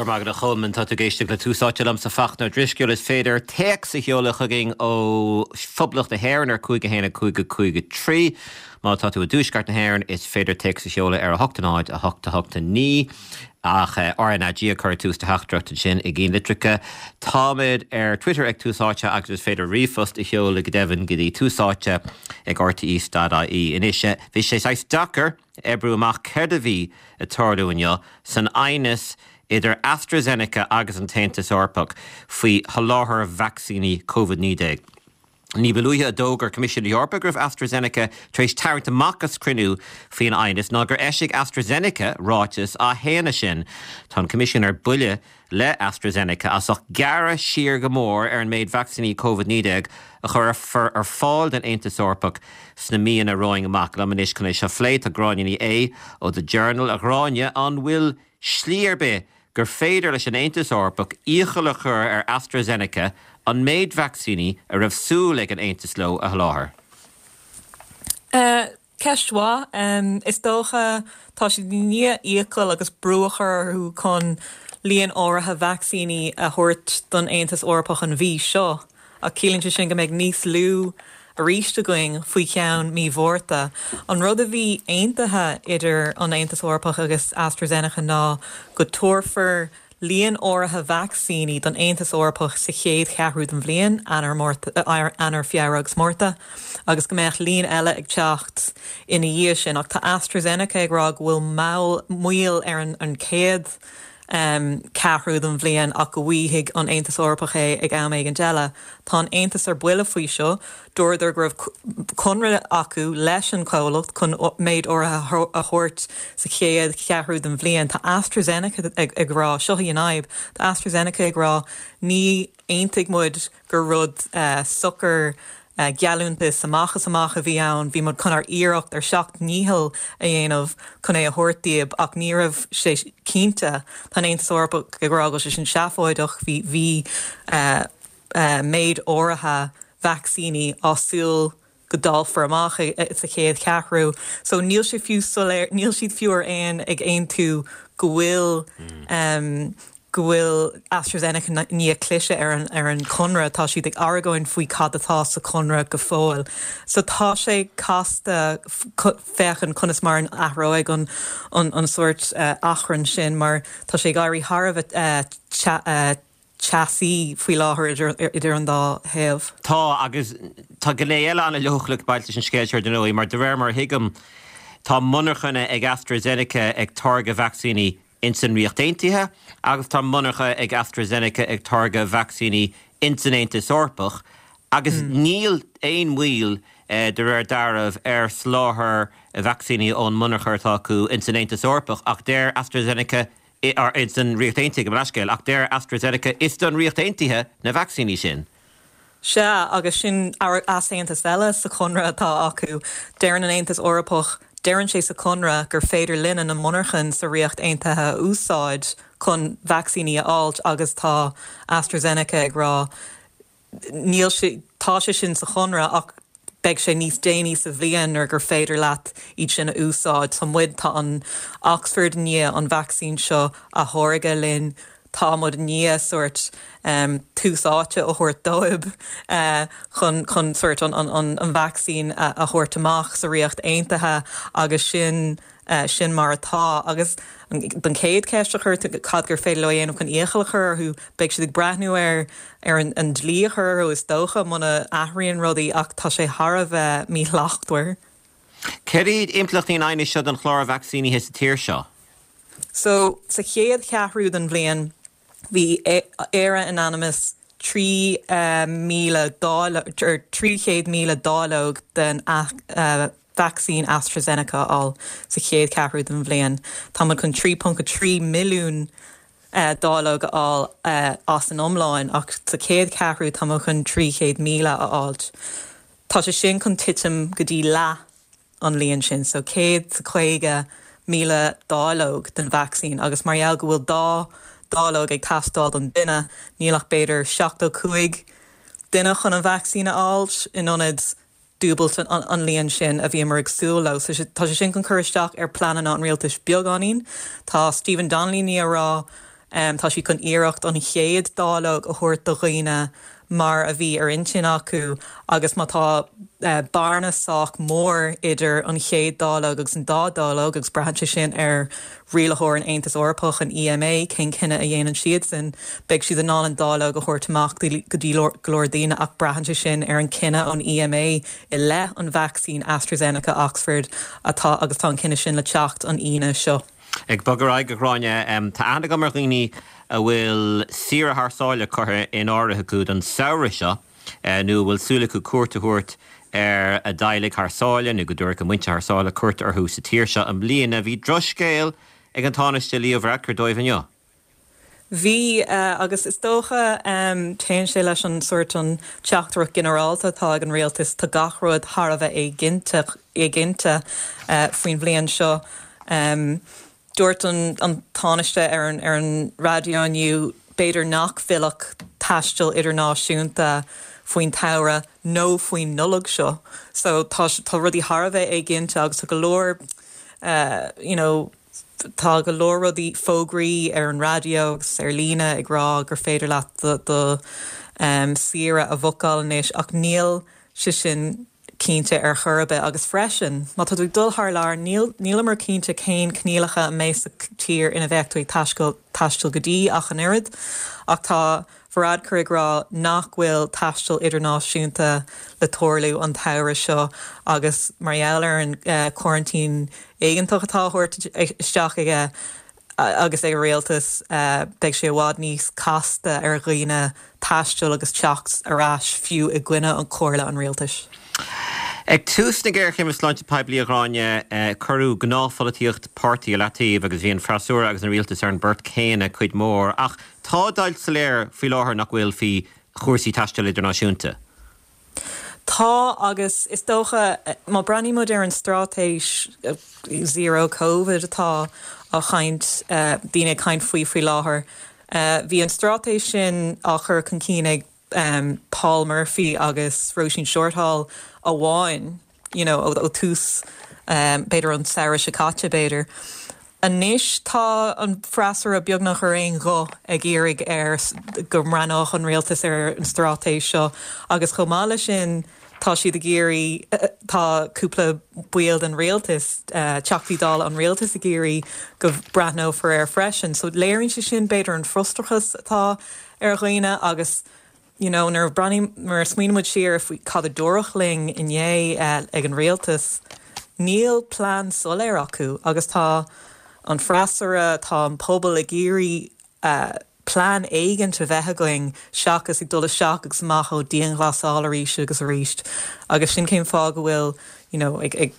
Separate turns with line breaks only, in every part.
Go raibh maith agat a Cholmáin. Tá tú ag éisteacht le Tús Áite liomsa Fachtna Ó Drisceoil. Is féidir téacs a sheoladh chugainn ó Phoblacht na hÉireann ar 5 1 5 5 3. Má tá tú i dTuaisceart na hÉireann is féidir téacs a sheoladh ar 8 0 8 8 9 ach RnaG a chur ag tús do theachtaireacht ansin i gceannlitreacha. Táimid ar Twitter ag Tús Áite agus is féidir ríomhphost a sheoladh go deimhin go dtí túsáite ag rte.ie. Anois, bhí sé saghas deacair oibriú amach céard a bhí ag tarlú inniu san aighneas idir AstraZeneca agus an tAontas Eorpach faoi sholáthar vacsaíní Covid-19. Ní ba luaithe a d'fhógair Coimisiún na hEorpa go raibh AstraZeneca tar éis tarraingt amach as cruinniú faoin aighneas ná gur eisigh AstraZeneca ráiteas á shéanadh sin. Tá an Coimisiún ar buile le AstraZeneca as ucht gearradh siar go mór ar an méid vacsaíní Covid-19 a chuirfear ar fáil don Aontas Eorpach sna míonna romhainn amach. Liom anois chun é seo a phlé tá Gráinne Ní Aodha ó The Journal. A Ghráinne, an bhfuil slí ar bith gur féidir leis an Aontas Eorpach iachall a chur ar AstraZeneca an méid vacsaíní a raibh súil ag an Aontas leo a sholáthar?
Ceist mhaith. Is dócha, tá siad i ndiaidh iachall agus brú a chur orthu chun líon áirithe vacsaíní a thabhairt don Aontas Eorpach an mhí seo. Ach ciallaíonn sé sin go mbeidh níos lú arís againn faoi cheann mí Mhárta. An rud a bhí aontaithe idir an Aontas Eorpach agus AstraZeneca ná go dtabharfar líon áirithe vacsaíní don Aontas Eorpach sa chéad cheathrú den bhliain, Eanáir, Márta, Eanáir, Feabhra agus Márta, agus go mbeadh líon eile ag teacht ina dhiaidh sin. Ach tá AstraZeneca ag rá go bhfuil mall, moill ar an chéad ceathrú den bhliain ach go bhfaighidh an Aontas Eorpach é ag am éigint eile. Tá an Aontas ar buile faoi seo. Dúradar go raibh conradh acu leis an chomhlacht chun méid áirithe a thabhairt sa chéad cheathrú den bhliain. Tá AstraZeneca ag rá, seo í an fhadhb, tá AstraZeneca ag rá ní aontaigh muid gur rud socair geallúntas amach is amach a bhí ann, bhí muid chun ár iarracht ár seacht ndícheall a dhéanamh chun é a thabhairt daoib ach ní raibh sé cinnte. Tá an Aontas Eorpach ag rá go bhfuil sé sin seafóideach, bhí bhí méid áirithe vacsaíní á súil go dáilfear amach sa chéad cheathrú. So níl sé fiú soiléir, níl siad fiú ar aon ag aontú go bhfuil go bhfuil AstraZeneca i ndiaidh cliseadh ar an ar an chonradh. Tá siad ag argóint faoi cad atá sa chonradh go fóill. So tá sé casta féachaint conas mar an athróidh an an an sórt achrann sin mar tá sé ag éirí thar a bheith teasaí faoi láthair idir an dá thaobh.
Tá, agus tá gné eile an-leochaileach ag baint leis an scéal seo ar ndóigh, mar de réir mar a thuigim, tá monarchana ag AstraZeneca ag táirgeadh vacsaíní ins an Ríocht Aontaithe agus tá monarcha ag AstraZeneca ag táirgeadh vacsaíní ins an Aontas Eorpach agus níl aon mhoill de réir dealraimh ar sholáthar vacsaíní ón monarcha atá acu ins an Aontas Eorpach ach deir AstraZeneca ins an Ríocht Aontaithe, gabh mo leithscéal, ach deir AstraZeneca is don Ríocht Aontaithe na vacsaíní sin.
Sea, agus sin easaontas eile sa chonradh atá acu. Deireann an Aontas Eorpach, deireann sé sa chonradh gur féidir linne na monarchain sa Ríocht Aontaithe a úsáid chun vacsaíní a fháilt agus tá AstraZeneca ag rá níl sé, tá sé sin sa chonradh ach beidh sé níos déanaí sa bhliain nuair gur féidir leat iad sin a úsáid. Tá muid, tá an Oxford i ndiaidh an vacsaín seo a tháirgeadh linn, tá muid i ndiaidh sórt tús áite a thabhairt dóibh chun chun sórt an an an vacsaín a thabhairt amach sa Ríocht Aontaithe agus sin sin mar atá. Agus don chéad cheist a chuir tú, cad gur féidir leo a dhéanamh chun iachall a chur orthu, beidh siad ag breathnú ar ar an dlí a chur orthu is dócha, muna athraíonn rudaí ach tá sé thar a bheith míshlachtmhar.
Céard iad impleachtaí an aighnis seo don chlár vacsaínithe sa tír seo?
So, sa chéad cheathrú den bhliain, bhí Éire in ainm is 3,000 dáileog, or 300,000 dáileog den vacsaín AstraZeneca a fháil sa chéad cheathrú den bhliain. Tá muid chun 3.3 milliún dáileog a fháil as an iomlán, ach sa chéad cheathrú tá muid chun 300,000 a fháilt. Tá sé sin chun titim go dtí leath an líon sin, so 150,000 dáileog den vacsaín agus mar gheall go bhfuil dá dáileog ag teastáil don duine, níl ach b'fhéidir 75 duine chun an vacsaín a fháilt in ionad dúbailt an líon sin a bhíomar ag súil leo. So tá sé sin chun cur isteach ar pleananna an rialtais beagáinín. Tá Stephen Donnelly i ndiaidh a rá. Tá siad chun iarracht an chéad dáileog a thabhairt do dhaoine mar a bhí ar intinn acu agus má tá bearna sách mór idir an chéad dáileog agus an dá dáileog, agus braitheann sé sin ar rialaitheoir an Aontas Eorpach, an EMA, cén cinneadh a dhéanann siadsan, beidh siad in ann an dáileog a thabhairt amach go dtí go leor daoine ach braitheann sé sin ar an cinneadh ón EMA i leith an vacsaín AstraZeneca Oxford atá agus tá an cinneadh sin le teacht an Aoine seo.
Ag bogadh ar aghaidh, a Ghráinne, tá aithne agam ar dhaoine a bhfuil saoire thar sáile curtha in áirithe acu don samhradh seo nó a bhfuil súil acu cuairt a thabhairt ar a dteaghlaigh thar sáile nó go dtabharfaidh a muintir thar sáile cuairt orthu sa tír seo i mbliana. Bhí drochscéal ag an Tánaiste Leo Varadkar dóibh inniu.
Bhí, agus is dócha, téann sé leis an sórt an teachtaireacht ginearálta atá ag an rialtas, tá gach rud thar a bheith éiginnte, éiginnte faoin bhliain seo. Dúirt an Tánaiste ar an ar an raidió inniu b'fhéidir nach bhfillfeadh taisteal idirnáisiúnta faoin tsamhradh nó faoin Nollaig seo. So tá tá rudaí thar a bheith éiginnte agus tá go leor you know, Tá go leor rudaí, fógraí ar an raidió agus ar líne ag rá gur féidir leat do do saoire a bhookáil anois ach níl sé sin cinnte ar chor ar bith agus freisin má tá tú ag dul thar lear níl níleamar cinnte cén coinníollacha a mbeidh sa tír ina bheadh tú ag taisteal taisteal go dtí ach an oiread ach tá Varadkar ag rá nach bhfuil taisteal idirnáisiúnta le tarlú an tsamhradh seo agus mar gheall ar an choraintín éigeantach atá á thabhairt isteach aige agus ag a rialtas, beidh sé i bhfad níos casta ar dhaoine taisteal agus teacht ar ais fiú i gcoinne chomhairle an rialtais.
Ag tús na géarchéime sláinte poiblí, a Ghráinne, cuireadh gnáthpholaitíocht páirtí i leataobh agus bhí an freasúra agus an rialtas ar an bport céanna cuid mhór. Ach tá deighilt soiléir faoi láthair, nach bhfuil, faoi chúrsaí taistil idirnáisiúnta.
Tá, agus is dócha, má breathnaíonn muid ar an straitéis Zero Covid atá á chaint, daoine ag caint faoi faoi láthair, bhí an straitéis sin á chur chun cinn ag Paul Murphy agus Róisín Shortall amháin you know ó tús b'fhéidir an samhradh seo caite b'fhéidir. Anois tá an freasúra beagnach ar aon ghuth ag iarraidh ar go mbreathnódh an rialtas ar an straitéis seo agus chomh maith leis sin tá siad ag iarraidh tá cúpla baill den rialtas, Teachtaí Dála an rialtais ag iarraidh go mbreathnófar air freisin. So léiríonn sé sin b'fhéidir an frustrachas atá ar dhaoine agus you know nuair a breathnaím, nuair a smaoiníonn muid siar faoi cad a dúradh linn inné ag an rialtas, níl plean soiléir acu agus tá an freasúra, tá an pobal ag iarraidh plean éigint a bheith againn seachas ag dul isteach agus amach ó dianghlasáil arís agus arís agus sin cén fáth go bhfuil you know ag ag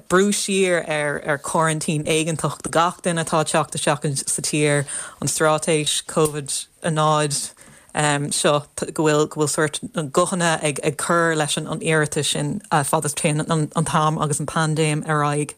brú siar ar ar choraintín éigeantach do gach duine atá ag teacht isteach sa tír, an straitéis Covid 0 seo, go bhfuil go bhfuil sórt guthanna ag ag cur leis an iarratas sin fad is téann an t-am agus an paindéim ar aghaidh.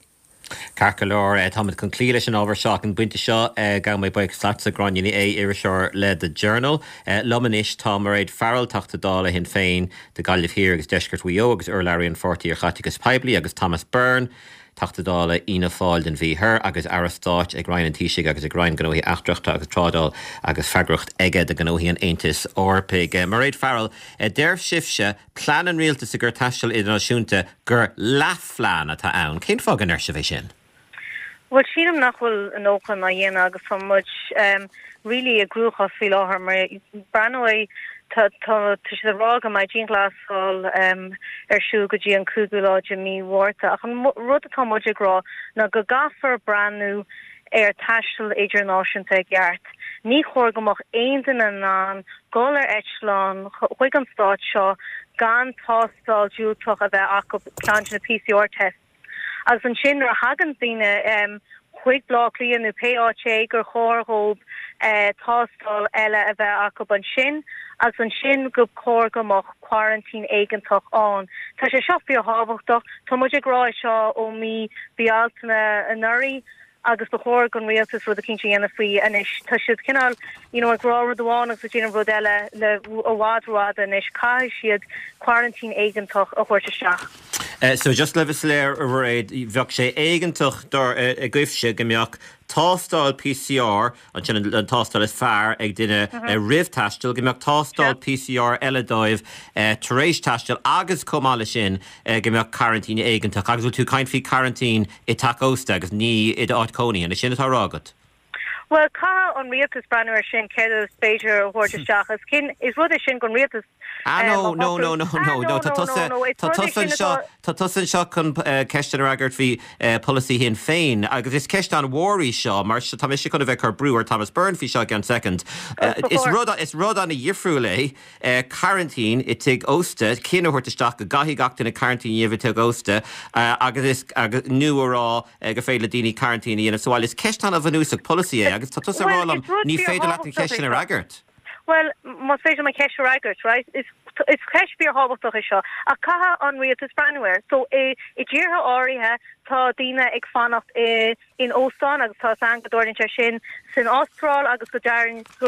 Ceart go leor, táimid chun cloí leis an ábhar seo ag an bpointe seo. Gabhann mé buíochas leatsa, Gráinne Ní Aodha, iriseoir le The Journal. Liom anois tá Mairéad Farrell, Teachta Dála Shinn Féin do Ghaillimh Thiar agus Deisceart Mhaigh Eo agus urlabhraí an pháirtí ar chaiteachas poiblí agus Thomas Byrne, Teachta Dála Fhianna Fáil don Mhí Thoir agus Aire Stáit ag Roinn an Taoisigh agus ag Roinn Gnóthaí Eachtracha agus Trádáil agus freagracht aige do ghnóthaí an Aontais Eorpaigh. Mairéad Farrell, deir sibhse, plean an rialtais i gcomhair taisteal idirnáisiúnta gur leathphlean atá ann. Cén fáth go ndeir sibh é sin?
Bhuel, sílim nach bhfuil a ndóthain á dhéanamh agus tá muid really i gcruachás faoi láthair mar breathnóidh tá tá siad ag rá go mbeidh dianghlasáil ar siúl go dtí an cúigiú lá de mí Mhárta ach an rud atá muid ag rá ná go gcaithfear breathnú ar taisteal idirnáisiúnta i gceart. Ní chóir go mbeadh aon duine in ann dul ar eitleán chuig an stát seo gan tástáil diúltach a bheith acu, ceann de na PCR tests. Agus ansin nuair a thagann daoine chuig Baile Átha Cliath nó pé áit é gur chóir dhóibh tástáil eile a bheith acu ansin agus ansin go chóir go mbeadh quarantine éigeantach ann. Tá sé seo fíorthábhachtach. Tá muid ag rá é seo ó mí Bealtaine anuraidh agus ba chóir don rialtas rud eicínt a dhéanamh faoi anois. Tá siad cineál you know ag rá rud amháin agus ag déanamh rud eile le i bhfad rófhada anois. Caithfidh siad quarantine éigeantach a thabhairt isteach.
So just le bheith soiléir, a Mhairéad, bheadh sé éigeantach dar agaibhse go mbeadh tástáil PCR, ansin an tástáil is fearr ag duine roimh taisteal, go mbeadh tástáil PCR eile dóibh tar éis taisteal agus chomh maith leis sin go mbeadh coraintín éigeantach. Agus bhfuil tú ag caint faoi choraintín i dteach ósta agus ní i d'áit cónaithe, an é sin atá á rá agat?
Bhuel, caithfidh an rialtas breathnú ar sin, céard is féidir a thabhairt isteach. Is cinn, is rud é sin don rialtas
Ah no, no, no, no, no, no, tá tusa, tá tusa anseo, tá tusa anseo chun ceisteanna a fhreagairt faoi polasaí Shinn Féin agus is ceist an-mhór í seo mar tá mise chun a bheith ag cur brú ar Thomas Byrne faoi seo i gceann soicind. Is rud, is rud an-dhifriúil é coraintín i tigh ósta, cinneadh a thabhairt isteach go gcaithfidh gach duine coraintín a dhéanamh i tigh ósta agus is, agus, nó a rá gur féidir le daoine coraintín a dhéanamh sa bhaile. Is ceist an-bhunúsach polasaí é agus tá tusa ag rá liom ní féidir leat an cheist sin a fhreagairt.
Bhuel, más féidir liom an cheist a fhreagairt, right? Is is ceist fíorthábhachtach é seo ach caithfidh an rialtas breathnú air. So i i dtíortha áirithe tá daoine ag fanacht i in óstán agus tá a fhios againn go dtarlaíonn sé sin san Astráil agus go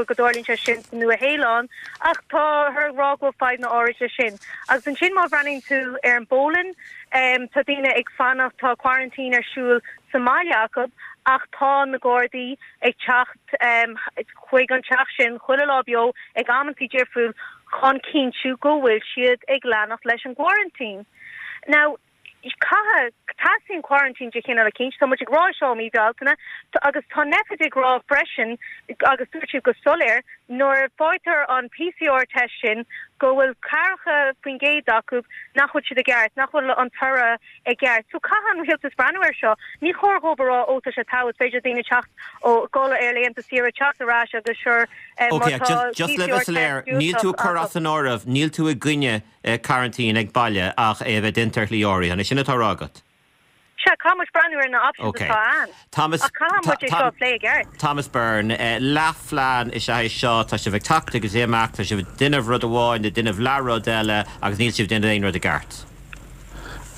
go dtarlaíonn sé sin sa Nua-Shéalainn ach táthar ag rá go bhfuil fadhbanna áirid leis sin. Agus ansin má bhreathnaíonn tú ar an bPolainn, Tá daoine ag fanacht, tá quarantine ar siúl sa mbaile acu ach tá na Gardaí ag teacht chuig an teach sin chuile lá beo ag amantaí difriúil chun cinntiú go bhfuil siad ag leanacht leis an gquarantine. Now, caithfidh, teastaíonn quarantine de chineál eicínt, tá muid ag rá seo ó mí Bealtaine agus tá Nphet ag rá freisin agus dúirt siad go soiléir nuair a faightear an PCR test sin go bhfuil 40% acu nach bhfuil siad i gceart, nach bhfuil an toradh i gceart. So caithfidh an rialtas breathnú air seo. Ní chóir dhóibh a rá ó tá sé togha, is féidir daoine teacht ó dhul ar laethanta saoire, teacht ar ais agus sure
má tá PCR test Just le bheith soiléir, níl tú ag cur as an áireamh, níl tú i gcoinne coraintín ag baile ach é a bheith déanta ar shlí áirithe, an é sin atá á rá agat?
Sea, caithfidh muid breathnú ar na options atá ann.
Thomas,
Ach caithfidh muid é seo a phlé i gceart.
Thomas Byrne, Leathphlean is ea é seo. Tá sibh ag teacht agus ag imeacht, tá sibh ag déanamh rud amháin, ag déanamh leath-rud eile agus níl sibh ag déanamh aon rud i gceart.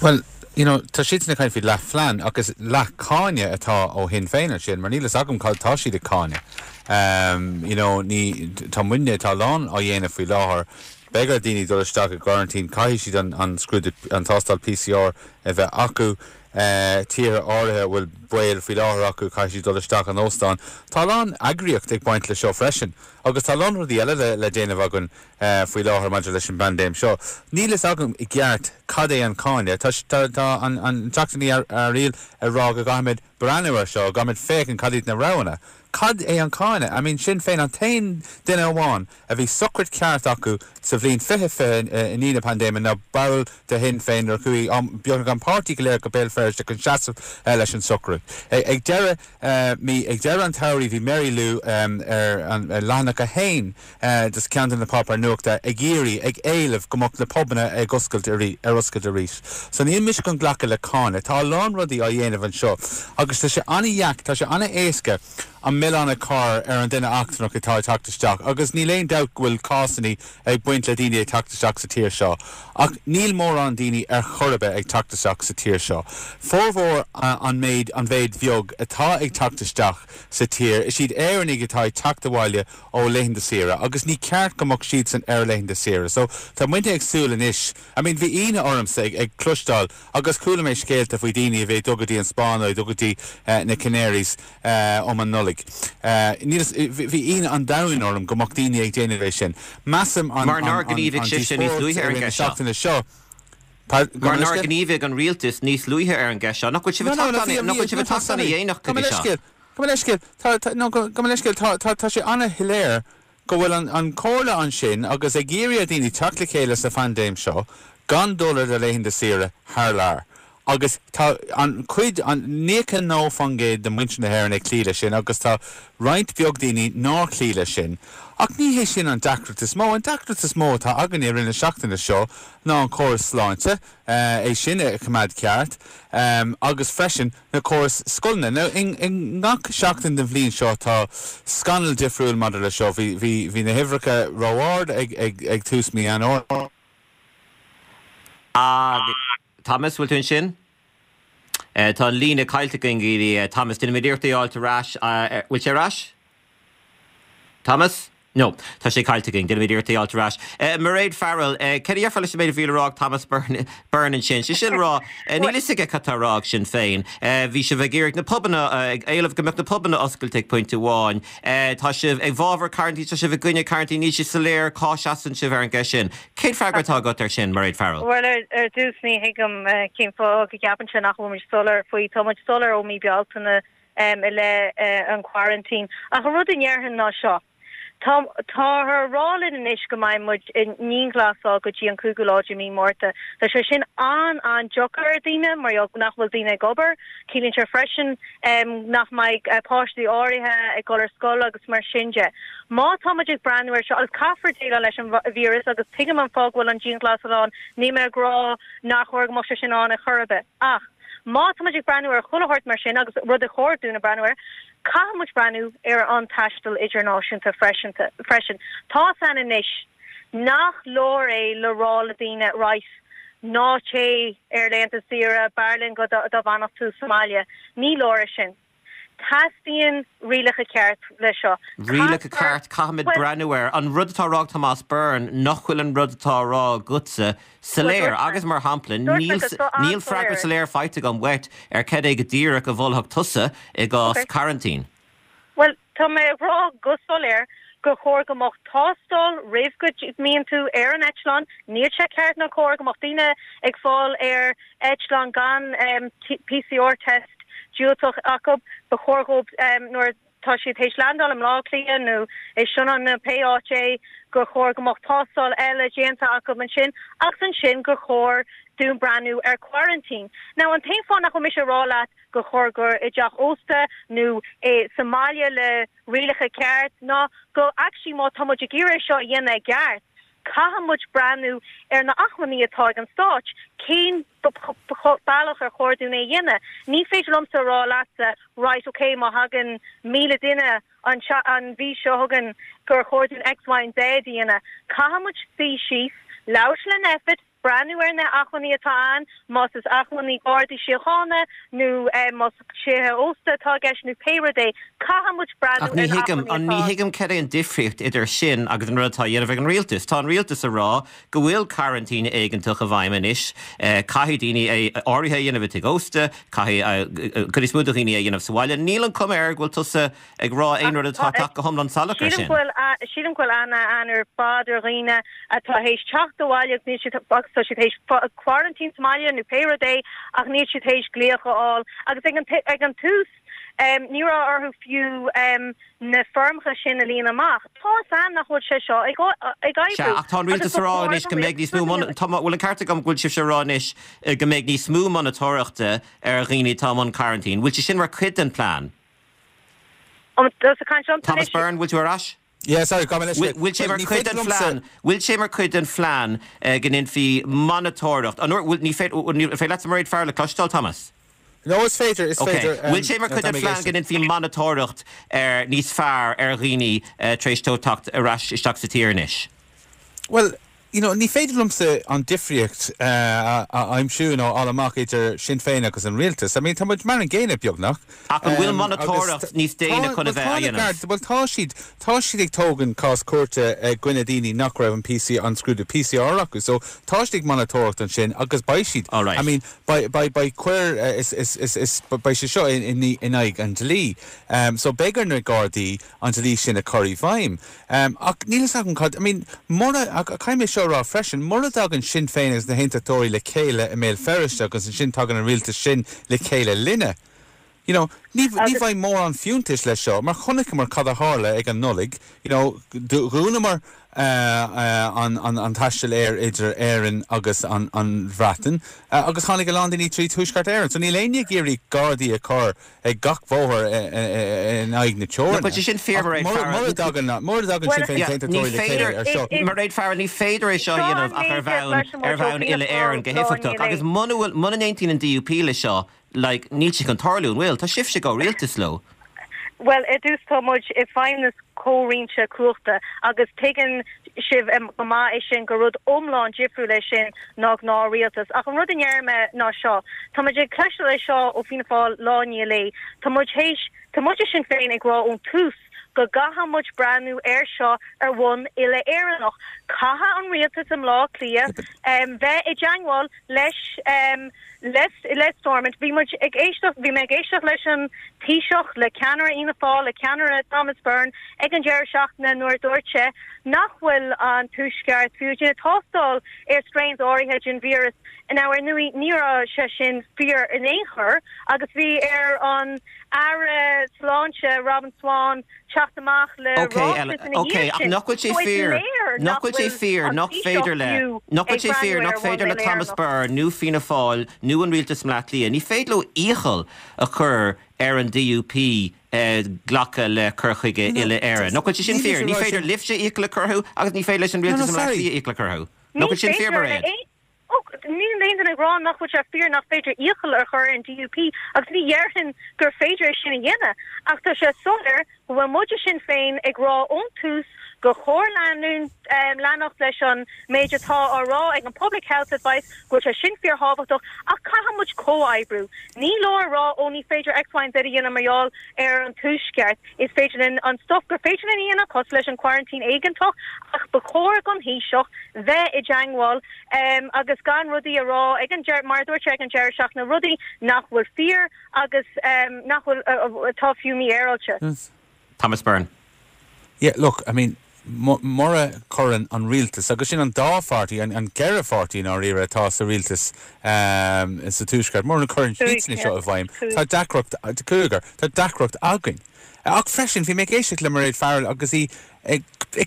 Bhuel, you know, tá siadsan ag caint faoi leathphlean ach is leathcháineadh atá ó Shinn Féin ansin mar níl fhios agam cad tá siad ag cáineadh. You know, ní, tá muidne, tá a lán á dhéanamh faoi láthair. Beidh ar dhaoine dul isteach i gcoraintín, caithfidh siad an, an scrúdú, an tástáil PCR a bheith acu. Tíortha áirithe a bhfuil baol faoi láthair acu, caithfidh siad dul isteach in óstán. Tá a lán eagraíocht ag baint le seo freisin agus tá a lán rudaí eile le déanamh againn faoi láthair maidir leis an bpaindéim seo. Níl fhios agam i gceart cad é an cáineadh. Tá, tá an Teachta Ní Fhearaíl ag rá go gcaithfimid breathnú air seo, go gcaithfimid féachaint cad iad na roghanna. Cad é an cáineadh? I mean, Sinn Féin an t-aon duine amháin a bhí sochraid ceart acu sa bhliain 2020 i ndiaidh na paindéime ná ball de Shinn Féin nuair a chuaigh beagnach an páirtí go léir go Béal Feirste chun seasamh leis an sochraid. Ag deireadh mí, ag deireadh an tsamhraidh bhí Mary Lou ar an leathanach 1 de cheann de na páipéir nuachta ag iarraidh, ag éileamh go mbeadh na pubanna ag oscailt ar oscailt arís. So níl mise chun glacadh le cáineadh. Tá a lán rudaí á dhéanamh anseo agus tá sé an-dheac, tá sé an-éasca an milleán a chur ar an duine eachtrannach atá ag teacht isteach agus níl aon dabht go bhfuil cásanna ag baint le daoine ag teacht isteach sa tír seo ach níl mórán daoine ar chor ar bith ag teacht isteach sa tír seo. Formhór an méid, an mhéid bheag atá ag teacht isteach sa tír, is iad Éireannaigh atá ag teacht abhaile ó laethanta saoire agus ní ceart go mbeadh siadsan ar laethanta saoire. So tá muidne ag súil anois, I mean bhí ionadh ormsa ag ag cloisteáil agus chuala mé scéalta faoi daoine a bhí ag dul go dtí an Spáinn nó ag dul go dtí na Canaries um an Nollaig. Níl fhios, bhí ionadh an domhain orm go mbeadh daoine ag déanamh é sin. Measaim an
Mar nár ghníomhaigh sibhse níos
luaithe ar an gceist seo.
seo. Mar nár ghníomhaigh an rialtas níos luaithe ar an gceist seo. Nach bhfuil sibh ag teacht nach bhfuil sibh ag teacht ana-dhéanach go dtí seo?
Gabh mo leithscéal, tá, tá, no, gabh mo leithscéal, tá, tá, tá sé ana-shoiléir go bhfuil an, an chomhairle ansin agus ag iarraidh ar dhaoine teacht le chéile sa phaindéim seo gan dul ar do laethanta saoire thar lear. Agus tá an chuid, an 99% de mhuintir na hÉireann ag cloí leis sin agus tá roinnt bheag daoine nár chloígh leis sin. Ach ní hé sin an deacracht is mó. An deacracht is mó atá againne i rith na seachtaine seo ná an córas sláinte, é sin a choimeád ceart agus freisin na córais scoileanna. Now, i ngach seachtain den bhliain seo tá scannal difriúil maidir le seo. Bhí, bhí, bhí na huimhreacha ró-ard ag, ag, ag tús mí Eanáir.
Thomas, bhfuil tú ansin? Tá an líne caillte againn go dtí Thomas. Déanfaimid iarracht é a fháilt ar ais. Bhfuil sé ar ais? Thomas? No, tá sé caillte againn. Déanfaimid iarracht é a fháilt ar ais. Mairéad Farrell, céard a déarfá leis an méid a bhí le rá ag Thomas Byrne ansin? Sé sin le rá, níl fhios aige cad tá á rá ag Sinn Féin. Bhí sibh ag iarraidh na pubanna, ag éileamh go mbeadh na pubanna oscailte ag pointe amháin. Tá sibh i bhfabhar cearantín, tá sibh i gcoinne cearantín, níl sé soiléir cá seasann sibh ar an gceist sin. Cén freagra atá agat air sin, Mairéad Farrell?
Bhuel, ar dtús, ní thuigim cén fáth go gceapann sé nach bhfuil muid soiléir faoi. Tá muid soiléir ó mí Bealtaine. i leith an quarantine. Ach an rud a ndéarfainn ná seo, tá, táthar a rá linn anois go mbeidh muid i ndianghlasáil go dtí an cúigiú lá de mí Márta. Tá sé sin an-an-deacair ar daoine mar gheall nach bhfuil daoine ag obair. Ciallaíonn sé freisin nach mbeidh páistí áirithe ag dul ar scoil agus mar sin de. Má tá muid ag breathnú ar seo, agus caithfear déileáil leis an víreas agus tuigim an fáth go bhfuil an dianghlasáil ann, níl mé ag rá nár chóir go mbeadh sé sin ann ar chor ar bith. Ach. Má tá muid ag breathnú ar chuile shórt mar sin, agus rud ar chóir dúinn a breathnú air, caithfidh muid breathnú ar an taisteal idirnáisiúnta freisin. Tá's a'inn anois nach leor é le rá le daoine, right, ná téigh ar laethanta saoire, b'fhearr linn go dá bhfanfadh tú sa mbaile. Ní leor é sin. Teastaíonn rialacha ceart le seo.
Rialacha ceart, caithfimid breathnú air. An rud atá á rá ag Tomás Byrne, nach bhfuil an rud atá á rá agatsa soiléir. Agus mar shampla, níl freagra soiléir faighte agam uait ar cad é go díreach a mholfadh tusa i gcás coraintín.
Bhuel, tá mé ag rá go soiléir gur chóir go mbeadh tástáil roimh go mbíonn tú ar an eitleán. Níl sé ceart ná cóir go mbeadh daoine ag fáil ar eitleán gan PCR test diúltach acu. Ba chóir dhóibh nuair atá siad théis landáil i mBleá Cliath nó i Sionainn nó pé áit é gur chóir go mbeadh tástáil eile déanta acu ansin agus ansin gur chóir dúinn breathnú ar quarantine. Now an t-aon fáth nach bhfuil mise ag rá leat gur chóir gur i dteach ósta nó sa mbaile le rialacha ceart ná go actually má tá muid ag iarraidh é seo a dhéanamh i gceart caithfidh muid breathnú ar na acmhainní atá ag an stáit, cén bealach ar chóir dúinn é a dhéanamh. Ní féidir liomsa a rá leatsa right ok má thagann 1,000 duine an an mhí seo chugainn gur chóir dúinn X, Y and Z a dhéanamh. Caithfidh muid suí síos, labhairt le Nphet, breathnú ar na acmhainní atá ann, más is acmhainní Gardaí Síochána nó más tithe ósta atá i gceist nó pé rud é, caithfidh muid breathnú
Ach ní ar na thuigim, acmhainní ní atá. thuigim cad é an difríocht idir sin agus an rud atá á dhéanamh ag an rialtas. Tá an rialtas ag rá go bhfuil coraintín éigeantach i bhfeidhm anois, caithfidh daoine é áirithe a dhéanamh i dtigh ósta, caithfidh cuid is mó de dhaoine é a dhéanamh sa bhaile. Níl an cuma air go bhfuil tusa ag rá aon rud atá ag teacht go hiomlán salach
ar sin. Sílim go bhfuil aithne a'inn ar fad ar dhaoine atá théis teacht abhaile agus níl siad agus tá siad théis quarantine sa mbaile nó pé rud é ach níl siad théis glaoch a fháil agus ag an ag an tús ní raibh orthu fiú na foirmeacha sin a líonadh amach. Tá's a'inn nach bhfuil sé seo ag ag
oibriú. Sea, ach tá an rialtas ag rá anois go mbeidh níos mó tá bhfuil an ceart agam go bhfuil sibhse ag rá anois go mbeidh níos mó monatóireachta ar dhaoine atá i mbun coraintín. Bhfuil sé sin mar chuid den plean? Thomas Byrne, bhfuil tú ar ais?
Yeah, sorry, gabh mo leithscéal.
Bhfuil sé mar chuid den phlean, bhfuil sé mar chuid den phlean go ndéanfaí monatóireacht, an bhfuil, ní féidir, an féidir leatsa Mairéad Farrell a chloisteáil, Thomas?
No, is féidir, is féidir.
Ok, bhfuil sé mar chuid den phlean go ndéanfaí monatóireacht ar, níos fearr ar dhaoine tar éis dóibh teacht ar ais isteach sa tír anois?
Bhuel, you know, ní féidir liomsa an difríocht a aimsiú nó a fháil amach idir Sinn Féin agus an rialtas. I mean, tá muid mar an gcéanna, beagnach.
Ach an bhfuil monatóireacht níos déine chun a bheith á dhéanamh?
Bhuel, tá siad, tá siad ag tógaint cás cúirte i gcoinne daoine nach raibh an PC, an scrúdú PCR acu. So, tá siad ag monatóireacht ansin agus beidh siad, I mean, beidh, beidh, beidh coir, is, is, is, is, beidh sé seo in, in, in aghaidh an dlí. So, beidh ar na Gardaí an dlí sin a chur i bhfeidhm. Ach níl fhios agam cad, I mean, mura, ach caithfidh mé seo a rá freisin, mura dtagann Sinn Féin agus na hAontachtóirí le chéile i mBéal Feirste agus ansin tagann an rialtas sin le chéile linne, you know, ní, ní bheidh mórán fiúntais leis seo mar chonaiceamar cad a tharla ag an Nollaig, you know, dhúnamar an, an, an taisteal aeir idir Éirinn agus an, an Bhreatain agus tháinig a lán daoine trí Tuaisceart Éireann. So níl éinne ag iarraidh Gardaí a chur ag gach bóthar in aghaidh na teorann.
Bhuel, sé sin fíor, Mairéad Farrell.
Mura dtagann mura dtagann Sinn Féin is Aontachtóirí le chéile ar seo.
Mairéad Farrell, ní féidir é seo a dhéanamh ach ar bhonn ar bhonn uile-Éireann go héifeachtach. Agus muna bhfuil muna n-aontaíonn an DUP le seo, like, níl sé chun tarlú, an bhfuil? Tá sibhse i gcomhrialtas leo.
Bhuel, ar dtús tá muid i bhfeidhmeannas comhroinnte cumhachta agus tuigeann sibh go maith é sin gur rud iomlán difriúil é sin ná gnáth-rialtas. Ach an rud a ndeir mé ná seo, tá muid ag cloisteáil é seo ó Fianna Fáil lá i ndiaidh lae. Tá muid théis, tá muid i Sinn Féin ag rá ón tús. go gcaithfidh muid breathnú air seo ar bhonn uile-Éireannach. Caithfidh an rialtas i mBleá Cliath bheith i dteangmháil leis le Stormont. Bhí muid ag éisteacht, bhí mé ag éisteacht leis an Taoiseach, le ceannaire Fhianna Fáil, le ceannaire Thomas Byrne ag an deireadh seachtaine nuair a dúirt sé nach bhfuil an Tuaisceart fiú ag déanamh tástáil ar strains áirithe den víreas. Now, ar ndóigh, ní raibh sé sin fíor in aon chor agus bhí ar an Aire Sláinte Robin Swann teacht amach le
Ok,
ráiteas ina
ok,
dhiaidh
ach
sin.
nach bhfuil sé
So is
fíor,
léir
nach
nach
bhfuil sé
bhfuil
fíor
an
nach
Taoiseach
féidir le,
fiú
nach bhfuil
ag
sé fíor
breathnú
nach
ar bhonn
féidir le Thomas
uile-Éireannach.
Byrne nó Fianna Fáil nó an rialtas i mBleá Cliath, ní féidir leo iachall a chur ar an DUP glacadh le cur chuige
No,
uile-Éireann. Nach bhfuil sé sin
níl mise
fíor?
ag
Ní
rá
féidir
sin.
libhse iachall a chur orthu agus ní féidir leis an
No,
rialtas
no,
i mBleá
sorry.
Cliath iachall a chur orthu. Nach
Ní
bhfuil sin fíor,
féidir le
Mairéad?
aon Ó, níl aon duine ag rá nach bhfuil sé fíor nach féidir iachall a chur ar an DUP agus ní dhéarfainn gur féidir é sin a dhéanamh ach tá sé soiléir go bhfuil muid i Sinn Féin ag rá ón tús gur chóir leanúint, leanacht leis an méid atá á rá ag an Public Health Advice, go bhfuil sé sin fíorthábhachtach ach caithfidh muid comhoibriú. Ní leor a rá ó ní féidir X, Y and Z a dhéanamh mar gheall ar an Tuaisceart. Is féidir linn an stuff gur féidir linn a dhéanamh, cosúil leis an quarantine éigeantach, ach ba chóir don Thaoiseach bheith i dteangmháil agus gan rudaí a rá ag an deireadh, mar a dúirt sé ag an deireadh seachtaine, rudaí nach bhfuil fíor agus nach bhfuil, atá fiú mífhéaráilte.
Thomas Byrne.
Yeah, look, I mean, mura gcuireann an rialtas, agus sin an dá pháirtí, an ceithre pháirtí i ndáiríre atá sa rialtas sa Tuaisceart, mura gcuireann siadsan é seo i bhfeidhm, tá deacracht, cúigear, tá deacracht againn. Ach freisin, bhí mé ag éisteacht le Mairéad Farrell agus í ag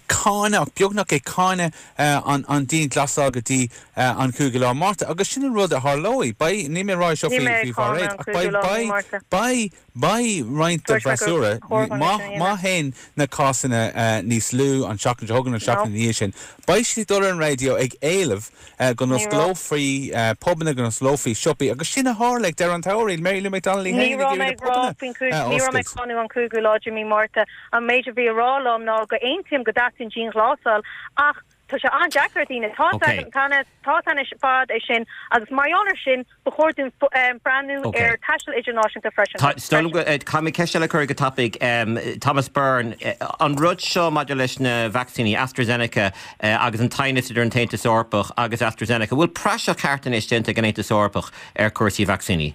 cáineadh, beagnach ag cáineadh an dianghlasáil go dtí an cúigiú lá Márta. Agus sin an rud a tharlóidh. Beidh, níl mé ag rá é seo
Níl
faoi
mé ag cáineadh
Mhairéad,
an
ach
cúigiú
beidh,
lá
beidh,
Márta.
beidh, Beidh roinnt den
Dúirt mé gur
bhfreasúra,
chóir dhom é
má
sin a
má
dhéanamh.
théann na cásanna níos lú an tseachtain seo chugainn, an
No.
tseachtain ina dhiaidh sin, beidh siad ag dul ar an raidió ag éileamh go
Ní raibh.
n-osclófaí pubanna, go n-osclófaí siopaí agus sin a tharla ag deireadh an tsamhraidh, Mary Lou McDonald í
Ní
féin ag
raibh
iarraidh
mé
na
ag rá
pubanna
faoin gcúig,
a
ní raibh mé ag
oscailt.
cáineadh an cúigiú lá de mí Márta. An méid a bhí á rá liom ná go aontaím go dteastaíonn dianghlasáil ach tá sé an-deacair ar dhaoine. Tá
Ok.
tá tá anois fad é sin agus mar gheall ar sin Ba chóir dúinn breathnú
Ok.
ar taisteal idirnáisiúnta freisin.
Tá, is dóigh liom go, caithfidh mé ceist eile a chur go tapaidh. Thomas Byrne, an rud seo maidir leis na vacsaíní, AstraZeneca agus an t-aighneas idir an tAontas Eorpach agus AstraZeneca, bhfuil praiseach ceart anois déanta ag an Aontas Eorpach ar chúrsaí vacsaíní?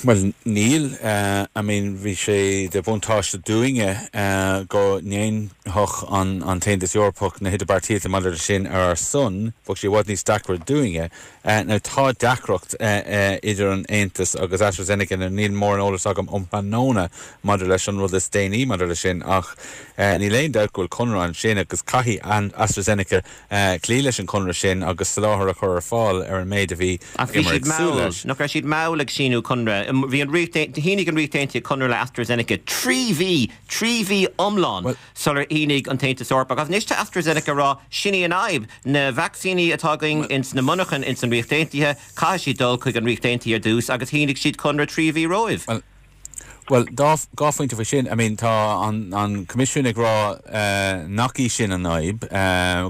Bhuel, níl. I mean, bhí sé de bhuntáiste dúinne go ndéanfadh an tAontas Eorpach na hidirbheartaíochta maidir leis sin ar ár son. Bheadh sé i bhfad níos deacra dúinne. Now tá deacracht idir an Aontas agus AstraZeneca, now níl mórán eolas agam um thráthnóna maidir leis an rud is déanaí maidir leis sin ach níl aon dabht go bhfuil conradh ansin agus caithfidh AstraZeneca cloí leis an chonradh sin agus soláthar a chur ar fáil ar an méid a bhí
Ach bhí
bhíomar
siad
ag súil
mall,
leis.
nach raibh siad mall ag síniú conradh? Bhí an Ríocht, shínigh an Ríocht Aontaithe conradh le AstraZeneca 3 mhí, 3 mhí iomlán
Bhuel,
sular shínigh an tAontas Eorpach. Agus anois tá AstraZeneca ag rá, sin í an fhadhb, na vacsaíní atá againn ins na monarchain ins an Ríocht Aontaithe, caithfidh siad dul chuig an Ríocht Aontaithe ar dtús agus shínigh siad conradh 3 mhí romhaibh.
Bhuel, Bhuel, dá, dhá phointe faoi sin. I mean, tá an, an Coimisiún ag rá nach í sin an fhadhb,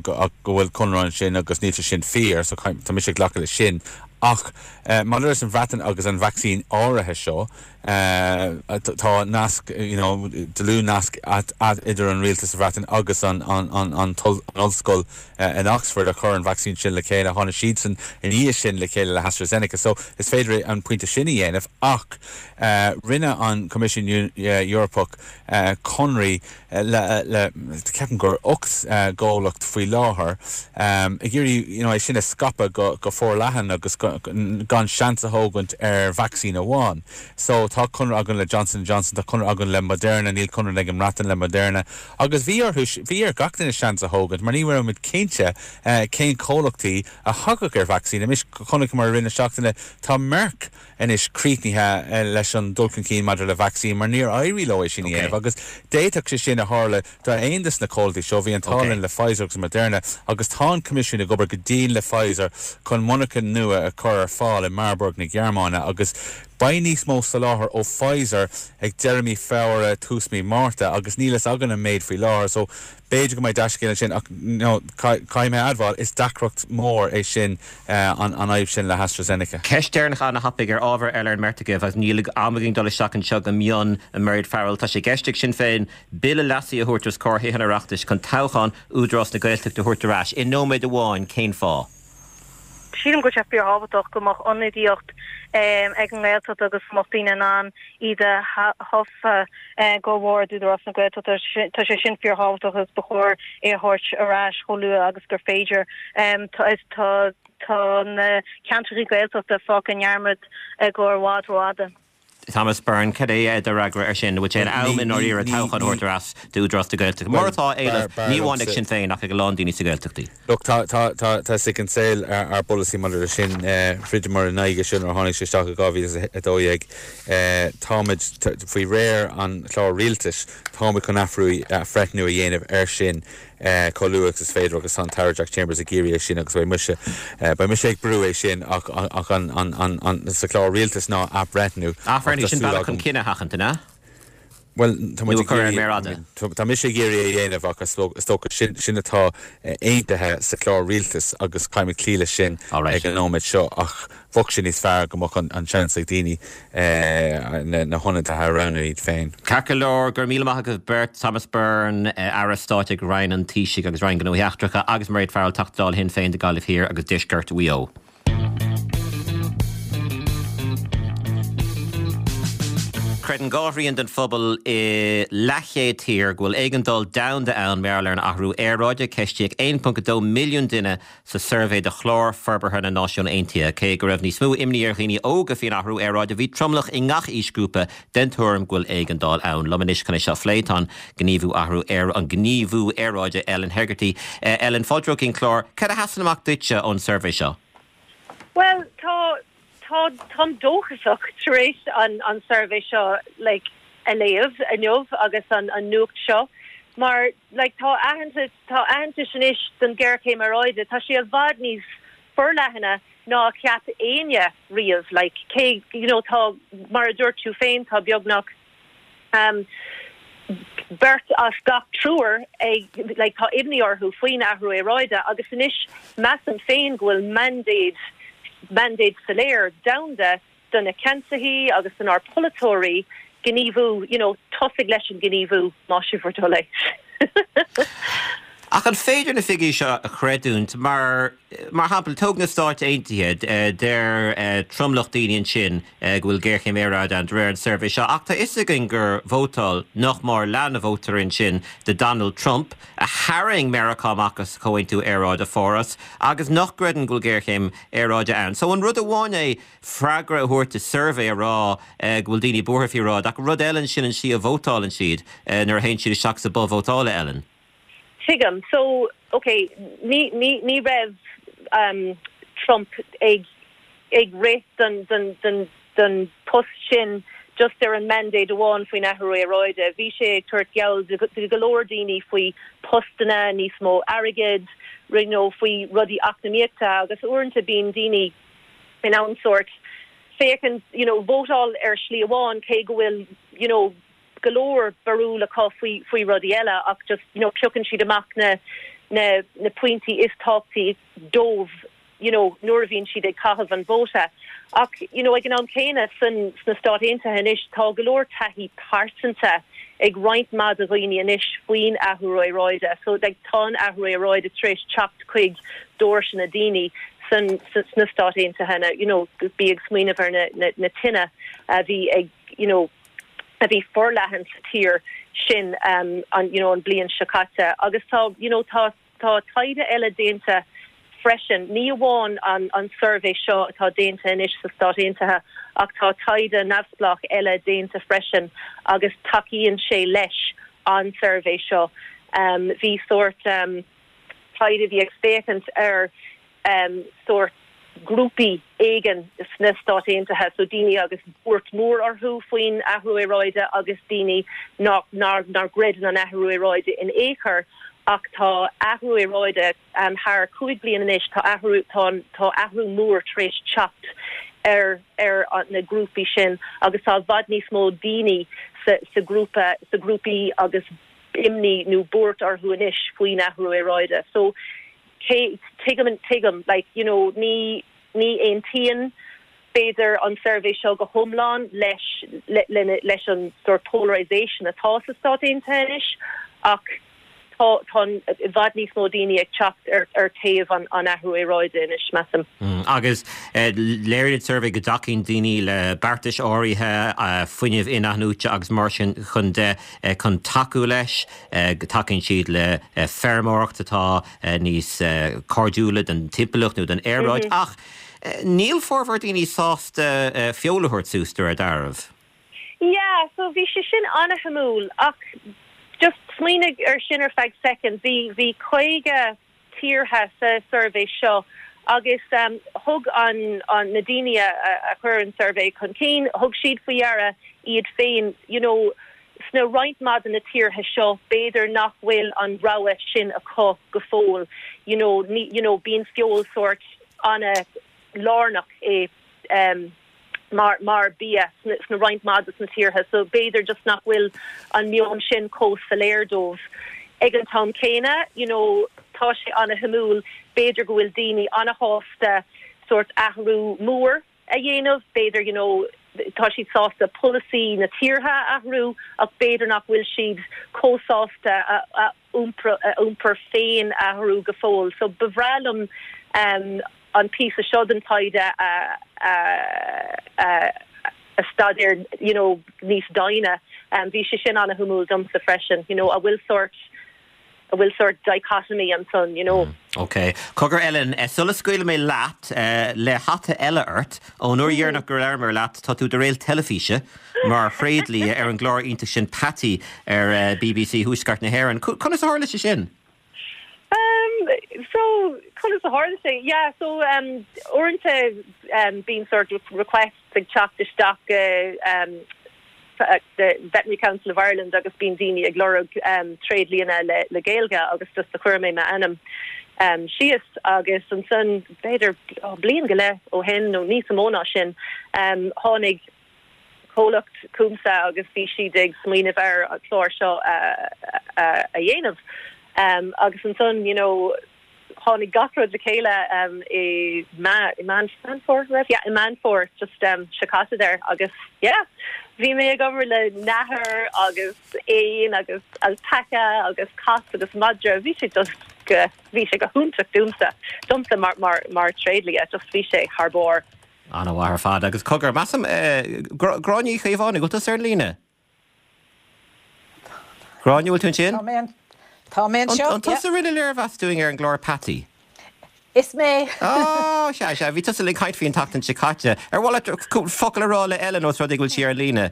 go, go bhfuil conradh ansin agus níl sé sin fíor, so tá mise ag glacadh leis sin. Ach maidir leis an Bhreatain agus an vacsaín áirithe seo, tá nasc, you know, dlúthnasc idir an rialtas sa Bhreatain agus an, an, an, an ollscoil in Oxford a chuir an vacsaín sin le chéile. Tháinig siadsan i ndiaidh sin le chéile le hAstraZeneca. So is féidir an pointe sin a dhéanamh ach rinne an Coimisiún Eorpach conraí le, ceapaim gur 8 gcomhlacht faoi láthair, ag iarraidh you know é sin a scaipeadh go forleathan agus gan seans a thógaint ar vacsaín amháin. So tá conradh againn le Johnson and Johnson, tá conradh againn le Moderna, níl conradh ag an mBreatain le Moderna. Agus bhí orthu, bhí ar gach duine seans a thógaint mar ní raibh muid cinnte cén comhlachtaí a thagadh ar vacsaín. Anois, chonaiceamar i rith na seachtaine, tá Merck anois críochnaithe leis an dul chun cinn maidir le vacsaín mar níor éirigh leo é sin a dhéanamh agus d'fhéadfadh sé sin a tharla d'aon de na comhlachtaí seo. Bhí an t-ádh linn le Pfizer agus Moderna agus tá an Coimisiún ag obair go dian le Pfizer chun monarcha nua a chur ar fáil i Marburg na Gearmáine agus. Beidh níos mó soláthar ó Pfizer ag deireadh mí Feabhra, tús mí Márta agus níl fhios againn an méid faoi láthair so b'fhéidir go mbeidh dea-scéal ansin ach you know caithfidh mé a admháil is deacracht mhór é sin an fhadhb sin le hAstrazeneca.
Ceist deireanach an-thapaidh ar ábhar eile ar an mbeirt agaibh agus níl am againn dul isteach anseo go mion, a Mairéad Farrell. Tá sé i gceist ag Sinn Féin bille leasaithe a thabhairt os comhair Thithe an Oireachtais chun toghchán Údarás na Gaeltachta a thabhairt ar ais. I nóiméad amháin, cén fáth?
Sílim go bhfuil sé fíorthábhachtach go mbeadh ionadaíocht ag an nGaeltacht agus go mbeadh daoine in ann iad a thoghadh go bhord Údarás na Gaeltachta. Tá sé sin fíorthábhachtach agus ba chóir é a thabhairt ar ais chomh luath agus gur féidir. Tá na ceantracha Gaeltachta fágtha i ndearmad i gcomhair i bhfad rófhada.
Thomas Byrne, Cad é do fhreagra air sin? Bhfuil sé in am i ndáiríre toghchán a thabhairt ar ais d'Údarás na Gaeltachta, mar atá á éileamh ní amháin ag Sinn Féin ach ag a lán daoine sna Gaeltachtaí?
Look, tá, tá, tá, tá 'fhios ag an saol ár bpolasaí maidir leis sin. Throideamar in aghaidh sin nuair a tháinig sé isteach i 2012. Táimid, faoi réir an chláir rialtais, táimid chun athrú, athbhreithniú a dhéanamh air sin. chomh luath agus is féidir agus tá an tAire Jack Chambers ag iarraidh é sin agus beidh mise, beidh mise ag brú é sin ach ach an, an, an, an, sa chlár rialtais ná athbhreithniú
ach tá Sin bealach chun cinneadh a sheachaint, an ea?
Bhuel, tá muid ag iarraidh, tá mise ag iarraidh é a dhéanamh ach is dócha sin, sin atá aontaithe sa chlár rialtais agus caithfimid cloí leis sin ag an nóiméad seo ach Bheadh sé níos fearr go mbeadh an seans ag daoine na hionadaithe a roghnú iad féin.
Ceart go leor, go raibh míle maith agaibh beirt, Thomas Byrne, Aire Stáit ag Roinn an Taoisigh agus Roinn Gnóthaí Eachtracha agus Mairéad Farrell, Teachta Dála Shinn Féin do Gaillimh Thiar agus Deisceart Mhaigh Eo. Creideann dhá thrian den phobal i leathchéad tír go bhfuil éigeandáil domhanda ann mar gheall ar an athrú aeráide. Ceistíodh 1.2 milliún duine sa suirbhé de Chlár Forbartha na Náisiún Aontaithe. Cé go raibh níos mó imní ar dhaoine óga faoin athrú aeráide, bhí tromlach i ngach aoisghrúpa den tuairim go bhfuil éigeandáil ann. Liom anois chun é seo a phlé tá an gníomhú athrú aer, an gníomhú aeráide Ellen Hegarty. Ellen, fáilte romhat chuig an chlár. Cad a sheasann amach duitse ón suirbhé seo?
Bhuel, tá, tá, táim dóchasach tar éis an, an suirbhé seo like, a léamh inniu agus an, an nuacht seo mar like tá aitheantas, tá aitheantas anois don ghéarchéim aeráide, tá sé i bhfad níos forleathana ná a cheap éinne riamh, like cé, you know, tá, mar a dúirt tú féin, tá beagnach um beirt as gach triúr ag, like tá imní orthu faoin athrú aeráide agus anois measaim féin go bhfuil mandate, mandate soiléir domhanda do na ceansaithe agus donár polaiteoirí gníomhú, you know, tosaigh leis an gníomhú, más é bhur dtoil é.
Ach an féidir na figiúirí seo a chreidiúint? Mar, mar shampla, tóg na Stáit Aontaithe, deir tromlach daoine ansin go bhfuil géarchéim aeráide ann de réir an suirbhé seo, ach tá a fhios againn gur vótáil nach mór leath na vótóirí ansin do Donald Trump, a tharraing Meiriceá amach as Comhaontú Aeráide Pháras, agus nach gcreideann go bhfuil géarchéim aeráide ann. So an rud amháin é freagra a thabhairt i suirbhé a rá go bhfuil daoine buartha faoi aeráid, ach rud eile ansin an tslí a vótálann siad nuair a théann siad isteach sa bhoth vótála, Ellen.
Tuigim. So, ok, ní, ní, ní raibh um, Trump ag, ag rith don, don, don, don post sin just ar an mandate amháin faoin athrú aeráide. Bhí sé ag tabhairt geall do, do go leor daoine faoi postanna, níos mó airgid, you know, faoi rudaí eacnamaíochta agus uaireanta bíonn daoine in ann sórt féachaint, you know, vótáil ar shlí amháin cé go bhfuil, you know, go leor barúil acu faoi, faoi rudaí eile ach just, you know, piocann siad amach na, na, na pointí is tábhachtaí dóibh, you know, nuair a bhíonn siad ag caitheamh an vóta. Ach, you know, ag an am céanna san, sna Stáit Aontaithe anois tá go leor taithí pearsanta ag roinnt mhaith de dhaoine anois faoin athrú aeráide. So, like, tá an athrú aeráide tar éis teacht chuig doirse na daoine san, sna Stáit Aontaithe, you know, bí ag smaoineamh ar na, na, na tine a bhí ag, you know, a bhí forleathan sa tír sin um, an, you know, an bliain seo caite. Agus tá, you know, tá, tá taighde eile déanta freisin, ní amháin an, an suirbhé seo atá déanta anois sa Stáit Aontaithe ach tá taighde neamhspleách eile déanta freisin agus tacaíonn sé leis an suirbhé seo. Um, bhí sórt um, taighde a bhí ag féachaint ar sórt grúpaí éigin sna Stáit Aontaithe, so daoine agus buairt mhór orthu faoin athrú aeráide agus daoine nach nár nár gcreideann an athrú aeráide in aon chor ach tá athrú aeráide thar 5 bliain anois, tá athrú tá tá athrú mór tar éis teacht. ar ar na grúpaí sin agus tá i bhfad níos mó daoine sa sa grúpa sa grúpaí agus imní nó buairt orthu anois faoin athrú aeráide. So cé tuigim tuigim like you know ní ní aontaíonn b'fhéidir an suirbhé seo go hiomlán leis leis an sort polarisation atá sa Stát Aontaithe anois ach tá tá i bhfad níos mó daoine ag teacht ar ar taobh an an athrú aeráide anois, measaim.
Agus léiríonn an suirbhé go dtacaíonn daoine le beartais áirithe, fuinneamh in-athnuaite agus mar sin chun de, chun tacú leis, go dtacaíonn siad le feirmeoireacht atá níos cairdiúla don timpeallacht nó don aeráid. Ach níl formhór daoine sásta feoil a thabhairt suas, de réir dealraimh.
Yeah, so bhí sé sin an-shuimiúil ach just smaoinigh ar sin ar feadh soicind, bhí, bhí 50 tíortha sa suirbhé seo agus um, thug an, an, na daoine a, a, a chuir an suirbhé chun cinn, thug siad faoi deara iad féin, you know, sna roinnt mhaith de na tíortha seo, b'fhéidir nach bhfuil an rogha sin acu go fóill, you know, ní, you know, bíonn feoil sórt an-lárnach i um, mar mar bia sna roinnt mhaith de na tíortha so b'fhéidir just nach bhfuil an meon sin chomh soiléir dóibh. Ag an t-am céanna, you know, tá sé an-shuimiúil, b'fhéidir go bhfuil daoine an-shásta sórt athrú mór a dhéanamh, b'fhéidir, you know, tá siad sásta polasaí na tíortha a athrú ach b'fhéidir nach bhfuil siad chomh sásta a a iompar féin a athrú go fóill. So ba bhreá liom um, an píosa seo den taighde a a a staidéar you know, níos doimhne. Um, bhí sé sin an-shuimiúil domsa freisin, you know, a bhfuil sórt a bhfuil sórt dichotomy ansan, you know.
Mm, ok. Cogar Ellen, eh, sula scaoilfidh mé leat eh, le hata eile ort, ón uair dheireanach gur labhair mé leat, tá tú i do réalt teilifíse mar thréadlia ar an gclár iontach sin Patty ar eh, BBC Thuaisceart na hÉireann. Conas a tharla sé sin?
Um, so, conas a tharla sé? Yeah, so, um, uaireanta um, bíonn sort of requests ag teacht isteach go um, the Veterinary Council of Ireland agus bíonn daoine ag lorg um, tréidlianna le, le Gaeilge agus just do chuir mé m'ainm um, síos agus ansan b'fhéidir oh, bliain go leith ó shin nó níos mó ná sin um, tháinig comhlacht chugamsa agus bhí siad ag smaoineamh ar an chlár seo a dhéanamh. Agus ansan, you know, tháinig gach rud le chéile i Meán Fómhair, raibh? Yeah, i Meán Fómhair, just seo caite there agus yeah, bhí mé ag obair le nathair agus éin agus alpaca agus cat agus madra, bhí sé just go, bhí sé go hiontach domsa, domsa mar, mar, mar tréidlia, just bhí sé thar barr.
An-mhaith ar fad. Agus cogar, measaim, Gráinne Uí Chaomhánaigh, bhfuil tusa ar an líne? Gráinne, bhfuil tú ansin?
Tá mé, tá mé anseo,
An tusa a rinne léirmheas dúinn ar an gclár Patty?
Is mé.
Á, sea, sea, bhí tusa linn ag caint faoi an tseachtain seo caite. Ar mhaith leat focal a rá le Ellen ós rud é go bhfuil sí ar an líne?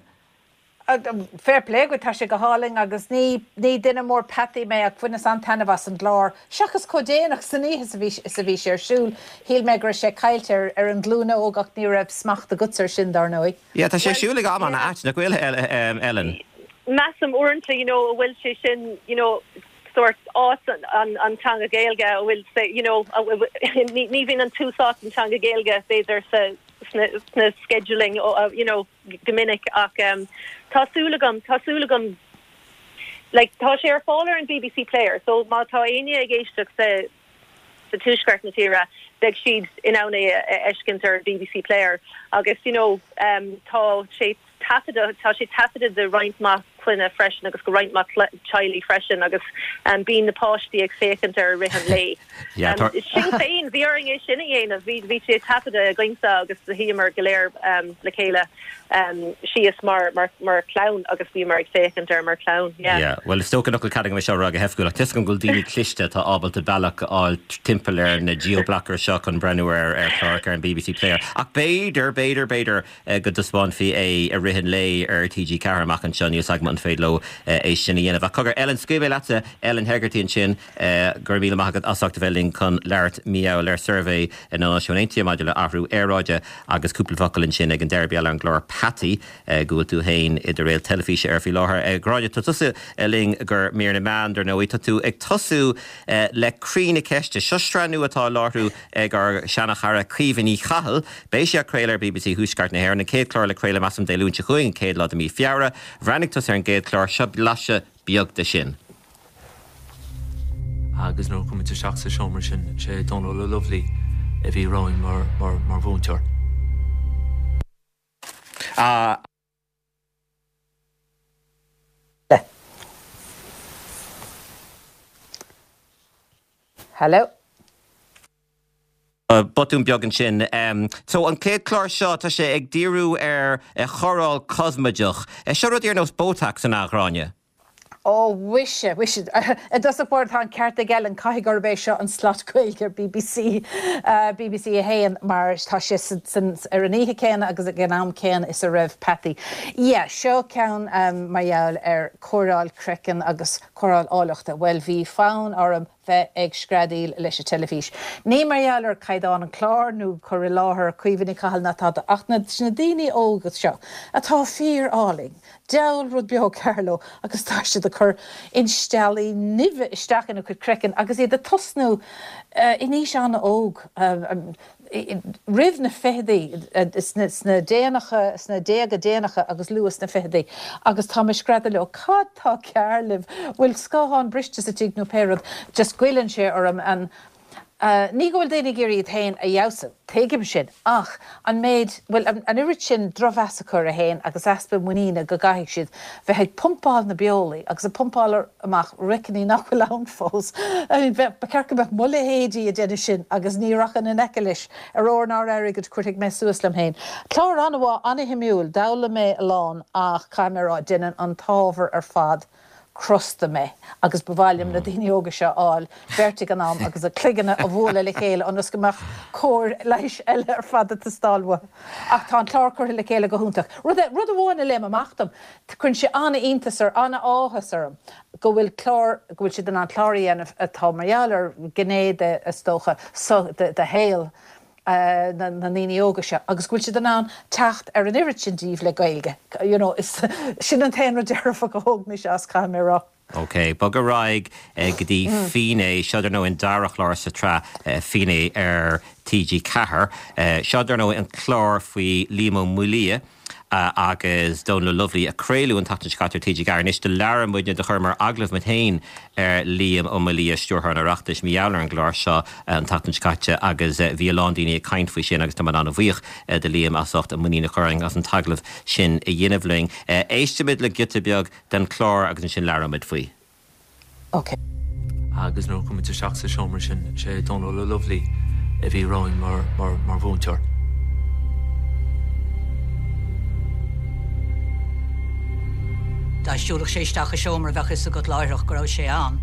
Fair play dhuit, tá sé go hálainn agus ní ní duine mór peataí mé ach bhaineas an-taitneamh as an gclár. Seachas chomh déanach san oíche is a bhí is a bhí sé ar siúl, shíl mé go raibh sé caillte ar ar an ghlúin óg ach ní raibh smacht agatsa ar sin dar ndóigh.
Yeah, tá sé ar siúl ag am an-ait, nach bhfuil, Ellen?
Measaim uaireanta, you know, a bhfuil sé sin, you know, sórt áit an an teanga Gaeilge a bhfuil sé, you know, ní ní bhíonn an tús áit an teanga Gaeilge b'fhéidir sa sna sna scheduling, you know, go minic ach tá súil agam, tá súil agam like tá sé ar fáil ar an BBC Player so má tá éinne ag éisteacht sa sa tuaisceart na tíre beidh siad in ann é a fheiscint ar an BBC Player agus you know tá sé taifeadta tá sé taifeadta do roinnt mhaith clainne freisin agus go roinnt mhaith teaghlaigh freisin agus bíonn na páistí ag féachaint air i rith an lae. Sinn féin, bhí orainn é sin a dhéanamh, bhí bhí sé taifeadta againse agus do shuíomar go léir le chéile síos mar mar mar chlann agus bhíomar ag féachaint air mar chlann, yeah.
Yeah, bhuel is dócha nach bhfuil cead agam é seo a rá go hoifigiúil ach tá 'fhios agam go bhfuil daoine cliste atá ábalta bealach a fháil timpeall ar na geo-blockers seo chun breathnú ar ar chláracha ar an BBC Player. Ach b'fhéidir, b'fhéidir, b'fhéidir go dtaispeánfaí é i rith an lae ar TG4 amach anseo, níl 's agam. an féidir leo é sin a dhéanamh. Ach cogar, Ellen, scaoilfidh mé leatsa, Ellen Hegarty ansin, go raibh míle maith agat as ucht a bheith linn chun labhairt mar gheall ar suirbhé na Náisiún Aontaithe maidir le athrú aeráide agus cúpla focal ansin ag an deireadh mar gheall ar an gclár Peataí go bhfuil tú féin i do réalt teilifíse air faoi láthair. Gráinne, tá tusa linn do mhír na meán, dar ndóigh. Tá tú ag tosú le Croí na Ceiste. Seo sraith nua atá á láithriú ag ár seana-chara Caoimhe Ní Chathail. Beidh sé á craoladh ar bbc Thuaisceart na hÉireann. An chéad chlár le craoladh measaim Dé Luain seo chugainn, an chéad lá de mí Feabhra. Bhreathnaigh tusa ar an gcéad chlár. Seo blaiseadh beag de sin.
Agus nuair a chuaigh muid isteach sa seomra sin, sé Dónal Ó Lubhlaí a bhí romhainn mar, mar, mar mhúinteoir.
A.
Hello.
Botún beag ansin. So an chéad chlár seo, tá sé ag díriú ar chóireáil cosmaideach. Seo rudaí ar nós Botox, an ea, a Ghráinne?
Ó, mhuise, mhuise. I dtosach báire, tá an ceart ag Ellen, caithfidh gurb é seo an slot Gaeilge ar bbc, bbc 1, mar tá sé san, ar an oíche céanna agus ag an am céanna is a raibh Peataí. Yeah, seo ceann mar gheall ar cóireáil craicinn agus cóireáil áilleachta. Bhuel, bhí fonn orm bheith ag screadaíl leis an teilifís. Ní mar gheall ar caighdeán an chláir nó cur i láthair Caoimhe Ní Chathail ná tada ach na na daoine óga seo atá fíor álainn, diabhal rud beag cearr leo agus tá siad ag cur insteallaí nimhe isteach ina gcuid craicinn agus iad ag tosnú in aois an-óg. roimh na fichidí, sna déanacha, sna déaga déanacha agus luath sna fichidí, agus tá mé ag screadaíl leo, cad tá cearr libh, bhfuil scáthán briste sa tigh nó pé rud, just goilleann sé orm an, ní go bhfuil daoine ag iarraidh iad féin a fheabhsú, tuigim sin, ach an méid, bhuel, an oiread sin drochmheas acu orthu féin agus easpa muiníne go gcaithfidh siad bheith ag pumpáil na beolaí agus ag pumpáil amach roiciní nach bhfuil ann fós. I mean, ba cheart go mbeadh mo leithéidí ag déanamh sin agus ní rachainn in aice leis ar ór ná ar airgead, cuirfidh mé suas liom féin. Clár an-mhaith, an-shuimiúil, d'fhoghlaim mé a lán ach caithfidh mé a rá, déanann an t-ábhar ar fad crosta mé agus ba mhaith liom na daoine óga seo a fháil beirt ag an am agus a gcloigne a bhualadh le chéile ionas go mbeadh cóir leighis eile ar fad ag teastáil uathu. Ach tá an clár curtha le chéile go hiontach. Rud rud amháin a léim amach dom, Cuireann sé an-iontas or an-áthas orm go bhfuil clár, go bhfuil siad in ann clár a dhéanamh atá mar gheall ar ghné de, is dócha, de shaol na ndaoine óga seo agus go bhfuil siad in ann teacht ar an oiread sin díobh le Gaeilge. You know, is, sin an t-aon rud dearfach a thóg mise as, caithfidh mé a rá.
Ok, bog ar aghaidh go dtí Finné. Seo dar ndóigh an dara chlár sa tsraith Finné ar TG4. Seo dar ndóigh an clár faoi Liam Ó Maolaodha agus Dónal Ó Lubhlaí a craoladh an tseachtain seo caite ar TG4. Anois do labhair muidne, do chuireamar agallamh muid féin ar Liam Ó Maolaodha, Stiúrthóir an Oireachtais, mar gheall ar an gclár seo an tseachtain seo caite agus bhí a lán daoine ag caint faoi sin agus tá muid an-bhuíoch de Liam as ucht a muinín a chur orainn as an t-agallamh sin a dhéanamh linn. Éistfimid le giota beag den chlár agus ansin labhróimid faoi.
Ok.
Agus nuair a chuaigh muid isteach sa seomra sin, sé Dónal Ó Lubhlaí a bhí romhainn mar, mar, mar mhúinteoir.
Dá siúlfadh sé isteach i seomra bheadh fhios agat láithreach go raibh sé ann.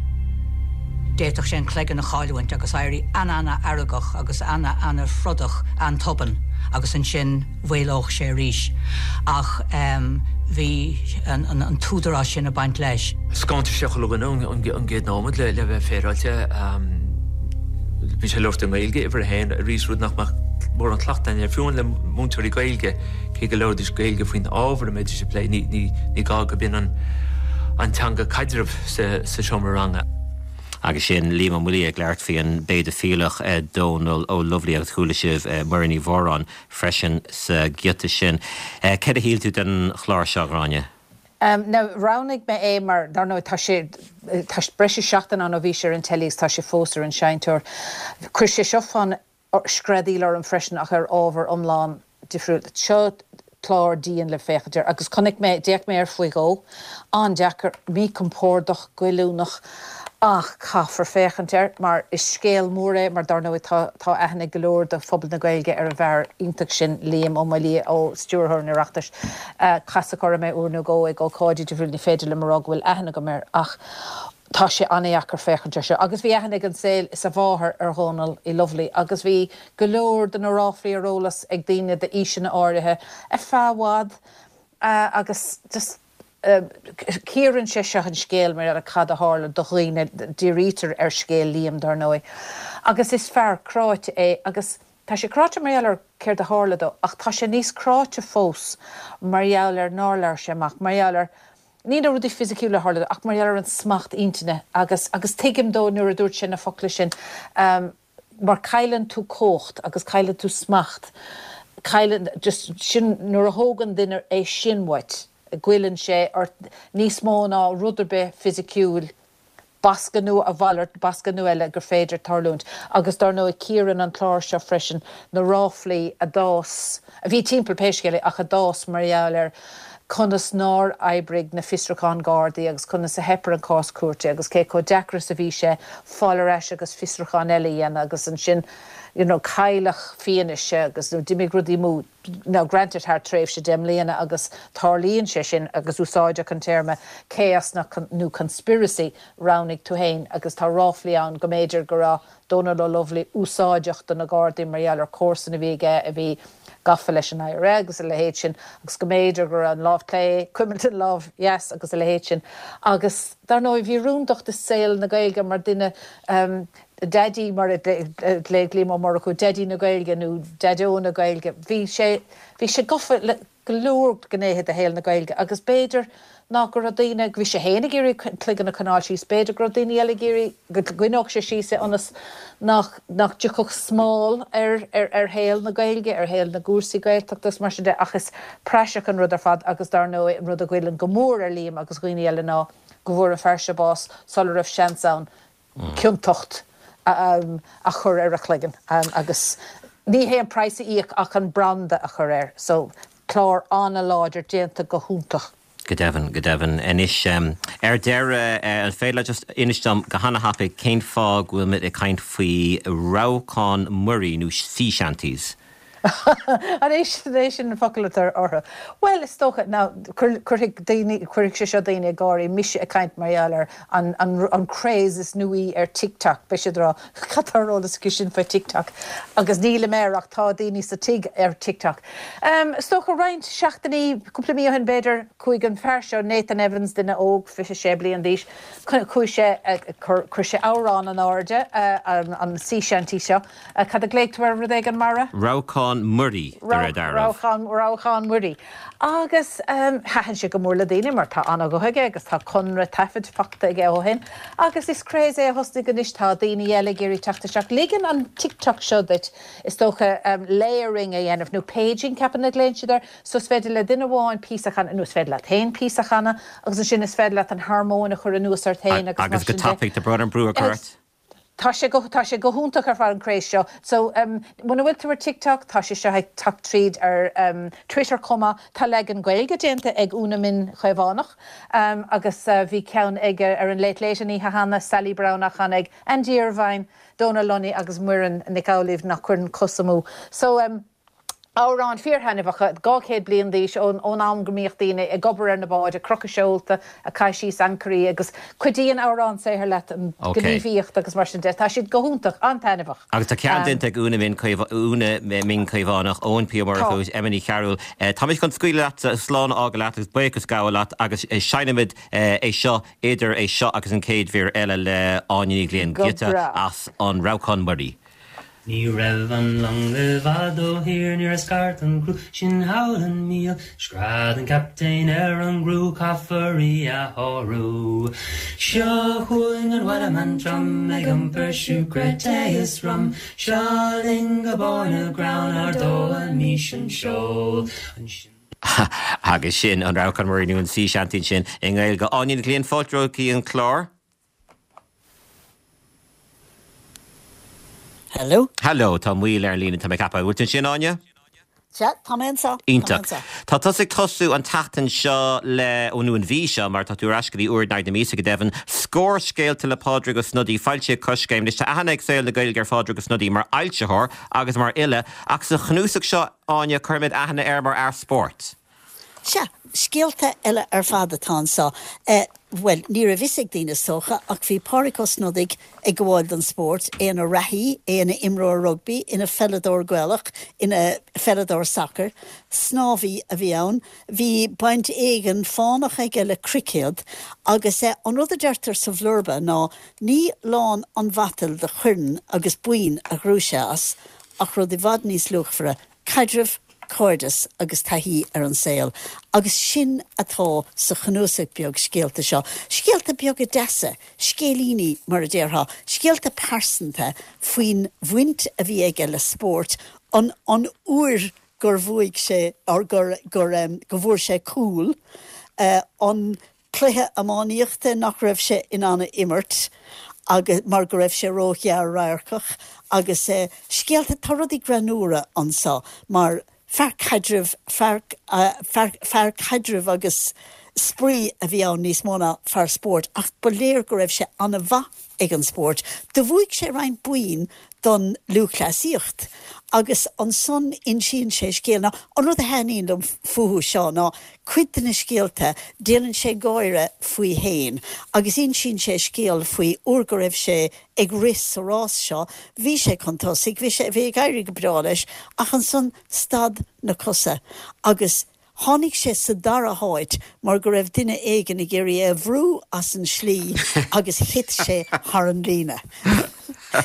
D'fhéadfadh sé an cloigeann a chailliúint agus éirí ana-ana-fheargach agus ana-ana-throdach an-tobann agus ansin mhaolódh sé arís. Ach bhí an t-údarás sin ag baint leis.
Scanraigh sé chuile dhuine ón gcéad nóiméad le bheith féaráilte. Bhí sé ag labhairt i nGaeilge uimhir a haon arís, rud nach mbeadh mórán cleachtadh againn air, fiú amháin le múinteoirí Gaeilge, cé go labhraídís Gaeilge faoin ábhar a mbeidís ag plé, ní gá gurb in an teanga caidrimh sa seomra ranga.
Agus sin Liam Ó Maolaodha ag labhairt faoi an bpéidifileach Dónal Ó Lubhlaí agus chuala sibh Muireann Ní Mhóráin freisin sa ghiota sin. Céard a shíl tú den chlár seo, a Ghráinne?
Now, roghnaigh mé é mar, dar ndóigh, tá sé, tá breis is seachtain ann ó bhí sé ar an teilí agus tá sé fós ar an seinnteoir. Chuir sé seo fonn screadaíl orm freisin ach ar ábhar iomlán difriúil. Seo clár dian le féachaint air agus chonaic mé, d'fhéach mé air faoi dhó. An-deacair, míchompordach, goilliúnach ach caithfear féachaint air mar is scéal mór é mar dar ndóigh tá tá aithne ag go leor de phobal na Gaeilge ar an bhfear iontach sin Liam Ó Maolaodha ó Stiúrthóir an Oireachtais. Casadh orm é uair nó dhó ag ócáidí difriúla, ní féidir liom a rá go bhfuil aithne agam air ach tá sé an-dheacair féachaint air seo. Agus bhí aithne ag an saol is a mháthair ar Dhónal Uí Lubhlaí agus bhí go leor de na ráflaí ar eolas ag daoine d'aoiseanna áirithe ar feadh i bhfad agus just. Cíorann sé seo an scéal mar gheall ar cad a tharla do dhaoine, dírítear ar scéal Liam dar ndóigh, agus is fear cráite é agus tá sé cráite mar gheall ar céard a tharla dó ach tá sé níos cráite fós mar gheall ar nár labhair sé amach, mar gheall ar, ní na rudaí fisiciúla a tharla dó ach mar gheall ar an smacht intinne agus, agus tuigim dó nuair a dúirt sé na focla sin. mar cailleann tú cumhacht agus cailleann tú smacht, cailleann, just sin, nuair a thógann duine é sin uait, goilleann sé ort níos mó ná rud ar bith fisiciúil, bascadh nó a mhalairt, bascadh nó eile gur féidir tarlúint. Agus dar ndóigh cíorann an clár seo freisin na ráflaí a d'fhás, a bhí timpeall pé scéal é, ach a d'fhás mar gheall ar conas nár oibrigh na fiosrúcháin Gardaí agus conas a theip ar an cás cúirte agus cé chomh deacair is a bhí sé fáil ar ais agus fiosrúchán eile a dhéanamh agus ansin you know cailleadh fianaise agus nó d'imigh rudaí amú, now granted thar tréimhse 10 mbliana agus tarlaíonn sé sin agus úsáideach an téarma chaos nó conspiracy, roghnaigh tú féin agus tá ráflaí ann go mb'fhéidir go raibh Dónal O'Lovely úsáideach do na Gardaí mar gheall ar comharsan a bhí aige a bhí gafa leis an IRA agus a leithéid sin agus go mb'fhéidir go raibh an lámh clé ag cuimilt an lámh dheas agus a leithéid sin. Agus dar ndóigh bhí rúndacht i saol na Gaeilge mar duine, Daidí mar a ghlaoigh Liam Ó Murchú, Daidí na Gaeilge nó Daideo na Gaeilge, bhí sé, bhí sé gafa le go leor gnéithe de shaol na Gaeilge agus b'fhéidir ná go raibh daoine, bhí sé féin ag iarraidh a chloigeann a choinneáil síos, b'fhéidir go raibh daoine eile ag iarraidh go gcoinneodh sé síos é ionas nach, nach dtiocfadh smál ar, ar, ar shaol na Gaeilge, ar shaol na gcúrsaí Gaeltachta agus mar sin de ach is praiseach an rud ar fad agus dar ndóigh an rud a ghoilleann go mór ar Liam agus dhaoine eile ná go bhfuair an fear seo bás sula raibh seans ann ciontacht a chur ar a chloigeann agus ní hé an praghas a íoc ach an branda a chur air. So, clár an-láidir, déanta go hiontach.
Go deimhin, go deimhin. Anois, ar deireadh, an féidir leat just inis dom go hana-thapaidh cén fáth go bhfuil muid ag caint faoi rabhcán muirí nó sea shanties?
An é sin, é sin an focal atá orthu? Bhuel, is dócha, now, cuirfidh daoine, cuirfidh sé seo daoine ag gáirí, mise ag caint mar gheall ar an, an, an craze is nuaí ar TikTok, beidh siad ag rá, cad tá ar eolas aici sin faoi TikTok? Agus nílim air ach tá daoine sa tigh ar TikTok. Is dócha roinnt seachtainí, cúpla mí ó shin b'fhéidir, chuaigh an fear seo, Nathan Evans, duine óg, 26 bliain d'aois, chuaigh sé, chuir sé amhrán in airde, an, an sea shanty seo, Cad a ghlaoigh tú air, rud éigin mara?
Rabhcán muirí, de réir dealraimh.
Rabhcán, rabhcán muirí. Agus thaitin sé go mór le daoine mar tá an-ghuth aige agus tá conradh taifid faighte aige ó shin. Agus is craze é a thosnaigh anois, tá daoine eile ag iarraidh teacht isteach. Ligeann an TikTok seo duit, is dócha, layering a dhéanamh, nó paging, ceapaim a ghlaonn siad air. So is féidir le duine amháin píosa a chanadh, nó is féidir leat féin píosa a chanadh, agus ansin is féidir leat an harmóin a chur anuas ort féin
agus mar sin de. Agus go tapaidh, tá brón orm brú a chur ort.
Tá sé go, tá sé go hiontach ar fad an craze seo. So, em, muna bhfuil tú ar TikTok, tá sé seo ag teacht tríd ar, em, Twitter chomh maith. Tá leagan Gaeilge déanta ag Úna Min Chaomhánach, em, agus, eh, bhí ceann ag, ar an Late Late an oíche cheana, Sally Brown á chanadh ag Andy Irvine, Dónal Lunny agus Muireann Nic Amhlaoibh nach gcuireann cos amú. So, em, Amhráin fíorthaitneamhacha, 200 bliain d'aois, ón am go mbíodh daoine ag obair ar na báid, ag crochadh seolta, ag caitheamh síos ancairí agus cuidíonn amhrán saothair leat an ghníomhaíocht agus mar sin de. Tá siad go hiontach, an-taitneamhach.
Agus tá ceann déanta ag Úna Min Úna Min Caomhánach, Eoin P. Ó Murchú, Emma Ní Chearúil. Táimid chun scaoileadh leat, slán a fhágáil leat agus buíochas a ghabháil leat agus seinnimid é seo idir é seo agus an chéad mhír eile le Áine Ní Ghlinn, giota as an Rabhcán Muirí.
Ní raibh an long i bhfad ó thír nuair a scairt an criú sin thall an míol. Scread an captaen ar an gcriú, caithfear í a shárú. Seo chugainn an Wellerman trom ag iompar siúcra, tae is rum. Seo linn go barr na gcrann, ardóimís an seol. Ansin.
Agus sin an Rabhcán Muirí nó an Sea Shanty ansin i nGaeilge. Áine Ní Ghlinn, fáilte romhat go dtí an clár.
Hello.
Hello, tá moill ar an líne, tá mé ag ceapadh. Bhfuil tú ansin, Áine?
Sea, tá mé anseo.
Iontach. Tá tusa ag tosú an tseachtain seo le, ó nó an mhí seo, mar tá tú ar ais go dtí uair in aghaidh na míosa go deimhin, Scór Scéalta le Pádraig Ó Snodaigh, foilsithe ag Coiscéim. Anois tá aithne ag saol na Gaeilge ar Phádraig Ó Snodaigh mar fhoilsitheoir agus mar fhile, ach sa chnuasach seo, Áine, cuirfimid aithne air mar fhear spóirt.
Sea, scéalta eile ar fad atá anseo. Bhuel, ní raibh fhios ag daoine is dócha, ach bhí Pádraig Ó Snodaigh ag gabháil don spórt, é ina reathaí, é ina imreoir rugbaí, ina pheileadóir Gaelach, ina pheileadóir sacair. Snámhaí a bhí ann. Bhí baint éigin fánach aige le cruicéad agus an rud a deirtear sa bhlurba ná ní lán an mhatail de choirn agus boinn a ghnóthaigh sé as, ach rud i bhfad níos luachmhaire, caidreamh, cairdeas agus taithí ar an saol. Agus sin atá sa chnuasach beag scéalta seo. Scéalta beaga deasa, scéilíní mar a déarfá, scéalta pearsanta faoin bhaint a bhí aige le spórt, an an uair gur bhuaigh sé, or gur, gur, go bhfuair sé cúl, an cluiche iománaíochta nach raibh sé in ann a imirt agus mar go raibh sé ró-ghearr-radharcach agus scéalta, tá rudaí greannmhara anso mar fear caidrimh, fear, fear, fear caidrimh agus spraoi a bhí ann níos mó ná fear spóirt ach ba léir go raibh sé an-mhaith ag an spórt. Do bhuaigh sé roinnt boinn don lúthchleasaíocht agus ansan insíonn sé scéal. Now, an rud a thaitníonn liom fúthu seo ná cuid de na scéalta, déanann sé gáire faoi fhéin agus insíonn sé scéal faoi uair go raibh sé ag rith sa rás seo, bhí sé chun tosaigh, bhí sé, bhí ag éirí go breá leis ach ansan stad na cosa agus Tháinig sé sa dara háit mar go raibh duine éigin ag iarraidh é a bhrú as an slí agus thit sé thar an líne.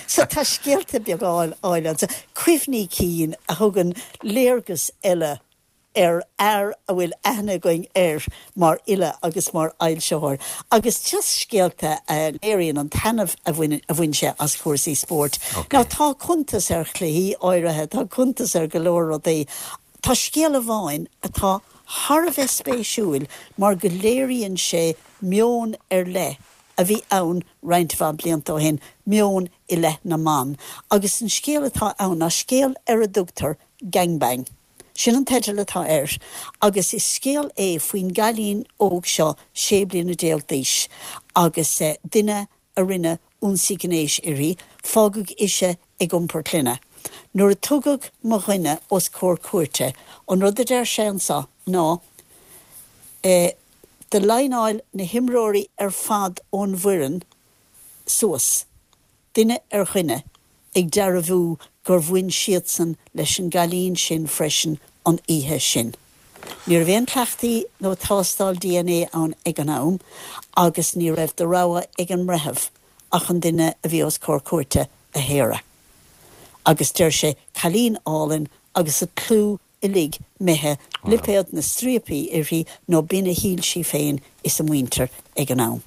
So tá scéalta beaga áille anso, cuimhní cinn a thugann léargas eile ar fhear a bhfuil aithne againn air mar fhile agus mar fhoilsitheoir agus just scéalta a léiríonn an taitneamh a bhain sé as cúrsaí spóirt. Now tá cuntas ar chluichí áirithe, tá cuntas ar go leor rudaí Tá scéal amháin atá thar a bheith spéisiúil mar go léiríonn sé meon ar leith a bhí ann roinnt mhaith blianta ó shin, meon i leith na mban. Agus an scéal atá ann ná scéal ar a dtugtar Gang Bang. Sin an teideal atá air agus is scéal é faoin gcailín óg seo 16 bliana d'aois agus duine a rinne ionsaí gnéis uirthi, fágadh ise ag iompar clainne. Nuair a tugadh mo dhuine os comhair cúirte, an rud a deir sé anso ná, eh, do líneáil na himreoirí ar fad ón bhfoireann suas, duine ar dhuine, ag dearbhú gur bhain siadsan leis an gcailín sin freisin an oíche sin. Ní raibh aon chleachtaí nó tástáil dna ann ag an am agus ní raibh de rogha ag an mbreitheamh ach an duine a bhí os comhair cúirte a shaoradh. Agus deir sé, cailín álainn agus a clú uilig imithe, lipéad na striapaí uirthi nó b'in a shíl sí féin is a muintir ag an am.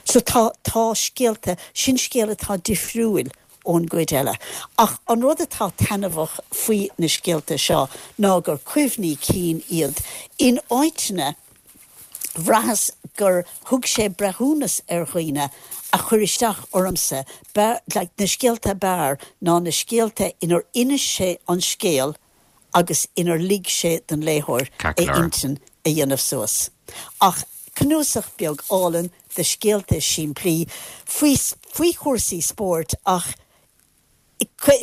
So tá, tá scéalta, sin scéal atá difriúil ón gcuid eile. Ach an rud atá taitneamhach faoi na scéalta seo ná gur cuimhní cinn iad. In áiteanna, bhraitheas gur thug sé breithiúnas ar dhaoine a chuir isteach ormsa, like, na scéalta ab fhearr ná na scéalta inar inis sé an scéal agus inar lig sé don léitheoir a intinn a dhéanamh suas. Ach cnuasach beag álainn de scéalta simplí faoi faoi chúrsaí spóirt ach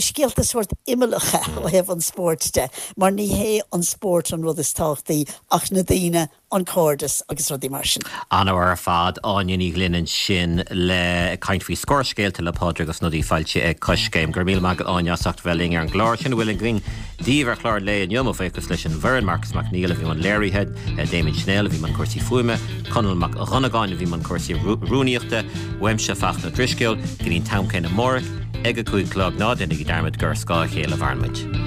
scéalta sórt imeallacha ó thaobh an spóirt de, mar ní hé an spórt an rud is tábhachtaí ach na daoine, an cairdeas agus rudaí mar sin.
An-mhaith ar fad, Áine Ní Ghlinn ansin le ag caint faoi Scór Scéalta le Pádraig Ó Snodaigh foilsithe ag Coiscéim. Go raibh míle maith agat Áine as ucht a bheith linn ar an gclár. Sin a bhfuil againn daoibh ar chlár an lae inniu. Mo bhuíochas leis an bhfoireann, Marcas Mac Neill a bhí i mbun léirithe, Damien Snell a bhí i mbun cúrsaí fuaime, Conall Mac Dhonnagáin a bhí i mbun cúrsaí rúnaíochta, uaimse Fachtna Ó Drisceoil, go dtí an t-am céanna amárach ag a 5 a chlog, ná déanaigí dearmad gur ar scáth a chéile a mhaireann muid.